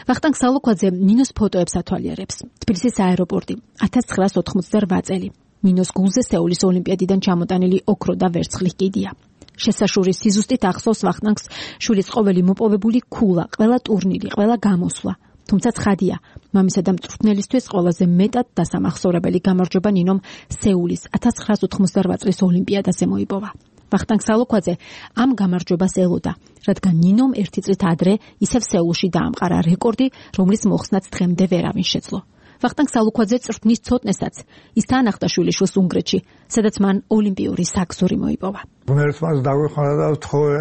J: ვახტანგ სალუქვაძე ნინოს ფოტოებს ათვალიერებს. თბილისის აეროპორტი, ათას ცხრაას ოთხმოცდარვა წელი. ნინოს გულზე სეულის ოლიმპიადიდან ჩამოტანილი ოქრო და ვერცხლის კიდია. შესაშურის სიზუსტით ახსოვს ვახტანგს შვილის ყოველი მოპოვებული ქულა, ყველა ტურნირი, ყველა გამოსვლა. თუმცა ცხადია, მამისა და მწვრთნელისთვის ყველაზე მეტად დასამახსოვრებელი გამარჯვება ნინომ სეულის ათას ცხრაას ოთხმოცდარვა წლის ოლიმპიადაზე მოიპოვა. ვახტანგ სალუქვაძე ამ გამარჯვებას ელოდა, რადგან ნინომ ერთი წლით ადრე ისევ სეულში დაამყარა რეკორდი, რომლის მოხსნაც დღემდე ვერავინ შეძლო. ვახტანგ სალუქვაძე წვრთნის ცოტნესაც ის თანახდა შვილიშვილს უნგრეთში, სადაც მან ოლიმპიური საქსური მოიპოვა.
H: ღმერთს დაგვეხმარა და თხოვე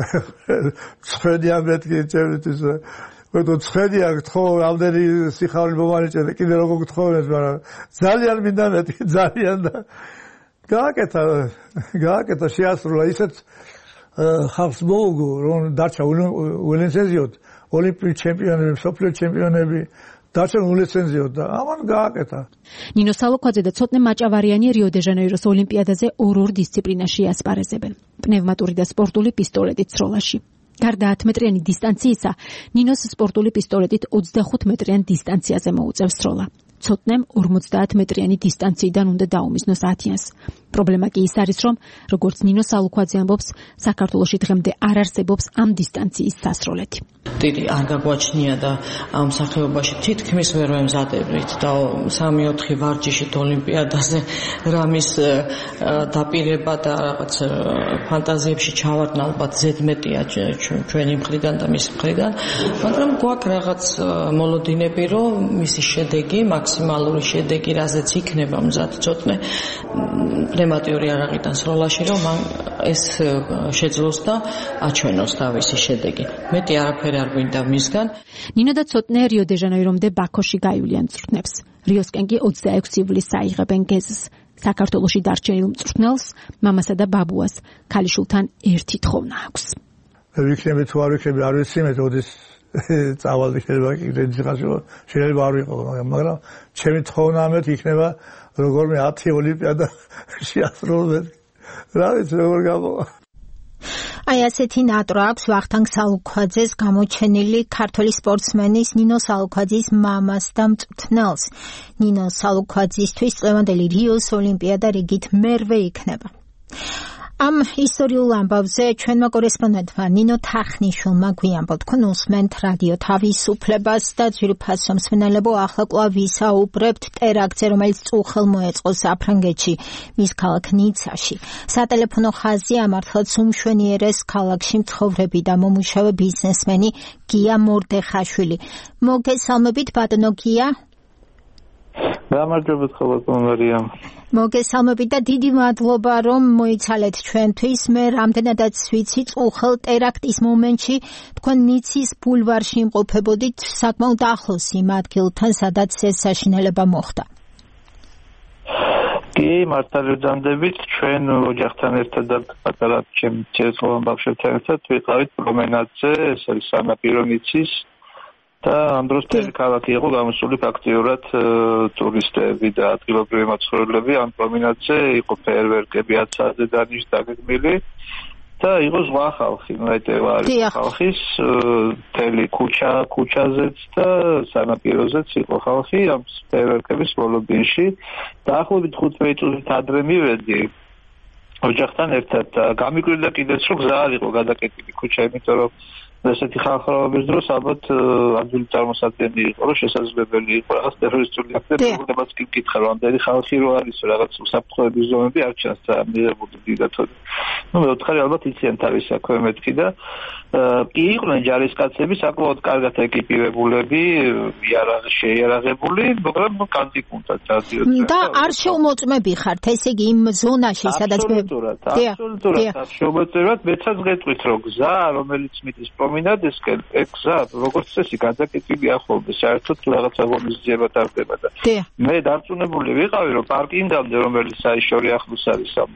H: ცხედია მეთქი წერთვის ვეთო ცხედია თქო ამდენი სიხარული მომანიჭე კიდე როგორ გთხოვეს, მაგრამ ძალიან მინდა მეთქი ძალიან და გააკეთა გააკეთა შეასრულა ისეთ ხალხს მოუგო რომ დარჩა ულიცენზიოდ ოლიმპიური ჩემპიონები, მსოფლიო ჩემპიონები დარჩა ულიცენზიოდ და ამან გააკეთა.
J: ნინო სალუქვაძე და ცოტნე მაჭავარიანი რიო-დე-ჟანეიროს ოლიმპიადაზე ორ-ორ დისციპლინაში ასპარეზებენ. პნევმატური და სპორტული პისტოლეტით ცროლაში. გარდა ათ მეტრიანი დისტანციისა, ნინოს სპორტული პისტოლეტით ოცდახუთ მეტრიან დისტანციაზე მოუწევს სროლა. ცოტნემ ორმოცდაათ მეტრიანი დისტანციიდან უნდა დაუმიზნოს ათიანს. პრობლემა კი ის არის, რომ როგორც ნინო სალუქვაძე ამბობს, საქართველოში დღემდე არ არსებობს ამ დისტანციის სასროლეთი.
K: დიდი არ გაგვაჩნია და ამ სახეობაში თითქმის ვერ ვემზადებით და სამი ოთხი ვარჯიშით ოლიმპიადაზე რამის დაპირება და რაღაც ფანტაზიებში ჩავარდნა ალბათ ზედმეტია ჩვენი მხრიდან და მისი მხრიდან, მაგრამ გვაქვს რაღაც მოლოდინები, რომ მისი შედეგი, მაქსიმალური შედეგი, რაზეც იქნება მზად ცოტნე პნევმატიური არაღიდან სროლაში, რომ მან ეს შეძლოს და აჩვენოს თავისი შედეგი. მეტი არაფერი არ გვინდა მისგან.
J: ნინო და ცოტნე რიო დე ჟანეირომდე ბაქოში გაივლიან მწვრთნებს. რიოსკენ კი ოცდაექვსი ივლისს აიღებენ გეზს. საქართველოში დარჩენილ მწვრთნელს, მამასა და ბაბუას ქალიშვილთან ერთი თხოვნა აქვს.
H: ვიქნები თუ არ ვიქნები არ ვიცი, მე თოდის წავალდი შეიძლება კიდე ხაშო შეიძლება არ ვიყო, მაგრამ ჩემი თხოვნა ამეთ იქნება როგორმე ათი ოლიმპიადა შეასრულოთ. რა ვიცი როგორ გამოვა.
B: აი ასეთი ნატრა აქვს ვახტანგ სალუქვაძეს გამოჩენილი ქართველი სპორტსმენის ნინო სალუქვაძის მამას და მწვრთნელს. ნინო სალუქვაძისთვის წლევანდელი რიოს ოლიმპიადა რიგით მერვე იქნება. ამ ისტორიულ ამბავზე ჩვენმა კორესპონდენტმა ნინო თახნიშვილმა გვიამბო, თქვენ უსმენთ რადიო თავისუფლებას და ძვირფასო მსმენელებო, ახლა კვლავ ვისაუბრებთ ტერაქტზე, რომელიც წუხელ მოეწყო საფრანგეთში, მის ქალაქ ნიცაში. სატელეფონო ხაზი ამართლაც უმშვენიერეს ქალაქში მცხოვრები და მომუშავე ბიზნესმენი გია მორდეხაშვილი. მოგესალმებით ბატონო გია.
L: გამარჯობათ ხოლმე მარიამ.
B: მოგესალმებით და დიდი მადლობა რომ მოიცალეთ ჩვენთვის. მე რამდენადაც ვიცი, წუხელ ტერაქტის მომენტში თქვენ ნიცის ბულვარში იმყოფებოდით საკმაოდ ახლოს იმ ადგილთან, სადაც ეს საშინელება მოხდა.
L: კი, მართალია ვძამდებით, ჩვენ ოჯახთან ერთად და პატარა ჩემ ცეცხლოვან ბავშვებთან ერთად ვიყავით პრომენადზე, ეს არის სანაპირო ნიცის. და ამ დროს მთელი ქალაქი იყო გამოსული ფაქტიურად ტურისტები და ადგილობრივი მაცხოვრებლები. ამ პრომენადზე იყო ფეერვერკები ათ საათზე დანიშნ დაგეგმილი და იყო ზღვა ხალხი, ნაიტევა არის ხალხის მთელი ქუჩა, ქუჩაზეც და სანაპიროზეც იყო ხალხი ამ ფეერვერკების ბოლო-ბინში. დაახლოებით ხუთმეტი წუთით ადრე მივედი ოჯახთან ერთად. გამიკვირდა კიდეც რომ გზა არ იყო გადაკეტილი ქუჩა, იმიტომ რომ ესეთი ხალხრობის დროს ალბათ ადვილი წარმოსადგენელი იყო, რომ შესაძლებელი იყო რაღაც ტერორისტული აქტები, რომლებიც კი მკითხა, რომ ამდენი ხალხი რო არის, რაღაც უსაფრთხოების ზონები არ ჩანს და მიღებული დიდათოდ. ნუ მეოთხარი ალბათ იციან თავის საქმე მეთქი და კი იყვნენ ჯარისკაცები, საკმაოდ კარგად ეკიპირებულები, იარაღ შეიარაღებული, მაგრამ კანტიკუნდა დადიოდ.
B: და არ შეუმოწმები ხართ, ესე იგი იმ ზონაში, სადაც
L: აბსოლუტურად, აბსოლუტურად არ შეუმოწმებათ, მეცაც გეტყვით, რომ გზა, რომელიც მიდის პრომინადისკენ, ეგ გზა, როგორც წესი, გადაკეტილი ახალ საერთოდ რაღაცა ღონისძიება ტარდება და მე დარწმუნებული ვიყავი, რომ პარკინგამდე, რომელიც საიშორი ახლოს არის ამ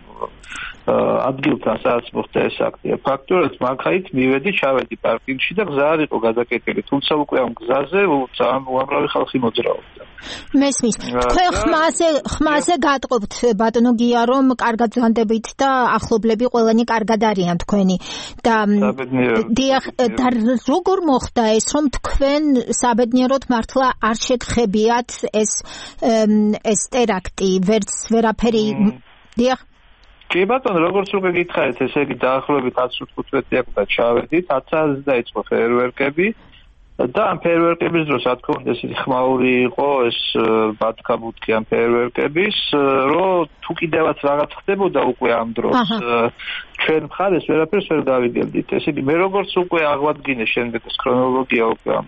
L: ადგილთან, სადაც მოხდა ეს აქტია, ფაქტურად მაგაით მივედი, ჩავედი პარკინგში და გზა არ იყო გადაკეტილი, თუმცა უკვე ამ გზაზე ძალიან უამრავი ხალხი მოძრაობდა.
B: მესმის, თქვენ ხმაზე, ხმაზე გატყობთ ბატონო გია, რომ კარგად ზანდებით და ახლობლები ყველანი კარგად არიან თქვენი და დიახ, და როგორ მოხდა ეს, რომ თქვენ საბედნიეროდ მართლა არ შეგხებიათ ეს ეს ტერაქტი, ვერც ვერაფერი დიახ
L: კი ბატონო, როგორც უკვე გითხარით, ესე იგი დაახლოებით ათს ութ-თხუთმეტი აკვდა ჩავედით, ათ საათზე დაიწყო ფეერვერკები და ამ ფეერვერკების დროს რა თქმა უნდა ესეთი ხმაური იყო ეს ბათქაბუთქი ამ ფეერვერკების, რომ თუ კიდევაც რაღაც ხდებოდა უკვე ამ დროს ჩვენ მხარეს ვერაფერს ვერ გავიგებდით. ესე იგი მე როგორც უკვე აღვადგინე შემდეგ ეს ქრონოლოგია უკვე ამ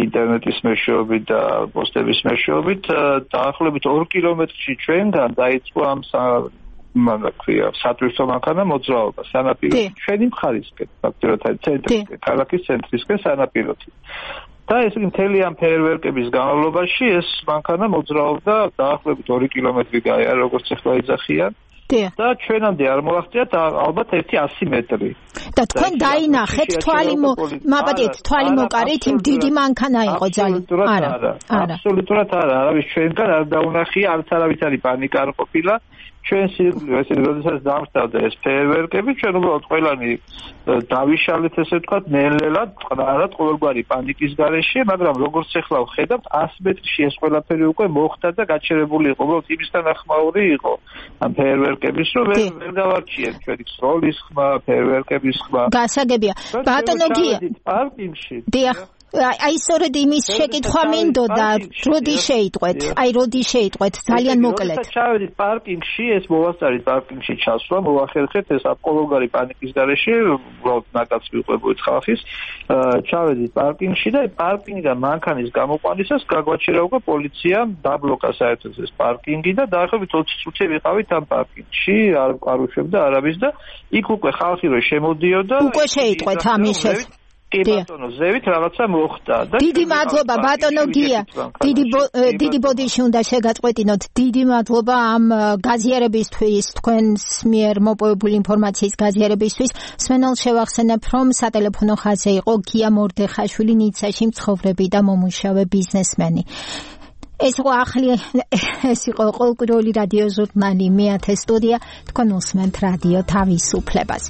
L: ინტერნეტის მეშვეობით და პოსტების მეშვეობით დაახლოებით ორ კილომეტრში ჩვენგან დაიწყო ამ მანდა ქვია სატვირთო მანქანა მოძრაობა სანაპირო ჩვენი მხარისკენ ფაქტობრივად ცენტრისკენ ქალაქის ცენტრისკენ სანაპიროთი და ეს მთელი ამ ფეერვერკების განმავლობაში ეს მანქანა მოძრაობდა დაახლოებით ორი კილომეტრი გაიარა როგორც ახლა იძახიან და ჩვენამდე არ მოაღწიათ ალბათ ერთი ასი მეტრი
B: და თქვენ დაინახეთ თვალი მაპატიეთ თვალი მოკარით იმ დიდი მანქანა იყო ძალიან
L: არა არა აბსოლუტურად არა არავის ჩვენგან არ დაუნახია არც არავითარი პანიკა არ ყოფილა ჩვენ სირგულე ესე როდესაც დამშტავდა ეს ფეერვერკები ჩვენ უბრალოდ ყველანი დავიშალეთ ესე ვთქვათ ნელ-ნელად წყნარად ყოველგვარი პანიკის გარეშე მაგრამ როგორც ახლა ვხედავთ ასი მეტრში ეს ყველაფერი უკვე მოხდა და გაჩერებული იყო უბრალოდ იმისთან ახმაური იყო ამ ფეერვერკების რომ ვერ დავარჩიეთ ჩვენი სროლის ხმა ფეერვერკების ხმა
B: გასაგებია ბატონო გია
L: პარკინგში
B: დიახ აი სწორედ იმის შეკითხვა მინდოდა როდი შეიტყვეთ აი როდი შეიტყვეთ ძალიან მოკლედ
L: ჩავედით პარკინგში ეს მოვასწარით პარკინგში ჩასვლა მოახერხეთ ეს აპოლოგარი პანიკის გარეშე უბრალოდ ნაკაც მიყვებოდით ხალხის ჩავედით პარკინგში და პარკინგიდან მანქანის გამოყვანისას გაგვაჩერა უკვე პოლიციამ დაბლოკა საერთოდ ეს პარკინგი და დაახლოებით ოცი წუთი ვიყავით ამ პარკინგში არ არ უშვებდა არავის და იქ უკვე ხალხი რო შემოდიოდა
B: უკვე შეიტყვეთ ამის შესახებ
L: კი ბატონო ზევით რაღაცა მოხდა და
B: დიდი მადლობა ბატონო გია დიდი დიდი ბოდიში უნდა შეგაწყვეტინოთ დიდი მადლობა ამ გაზიარებისთვის თქვენს მიერ მოპოვებული ინფორმაციის გაზიარებისთვის სვენელ შევახსენებ რომ სატელეფონო ხაზზე იყო გია მორდეხაშვილი ნიცაში მცხოვრები და მომუშავე ბიზნესმენი ეს იყო ახალი ეს იყო ყოველკვირეული რადიო ჟურნალი მეათე სტუდია თქვენ უსმენთ რადიო თავისუფლებას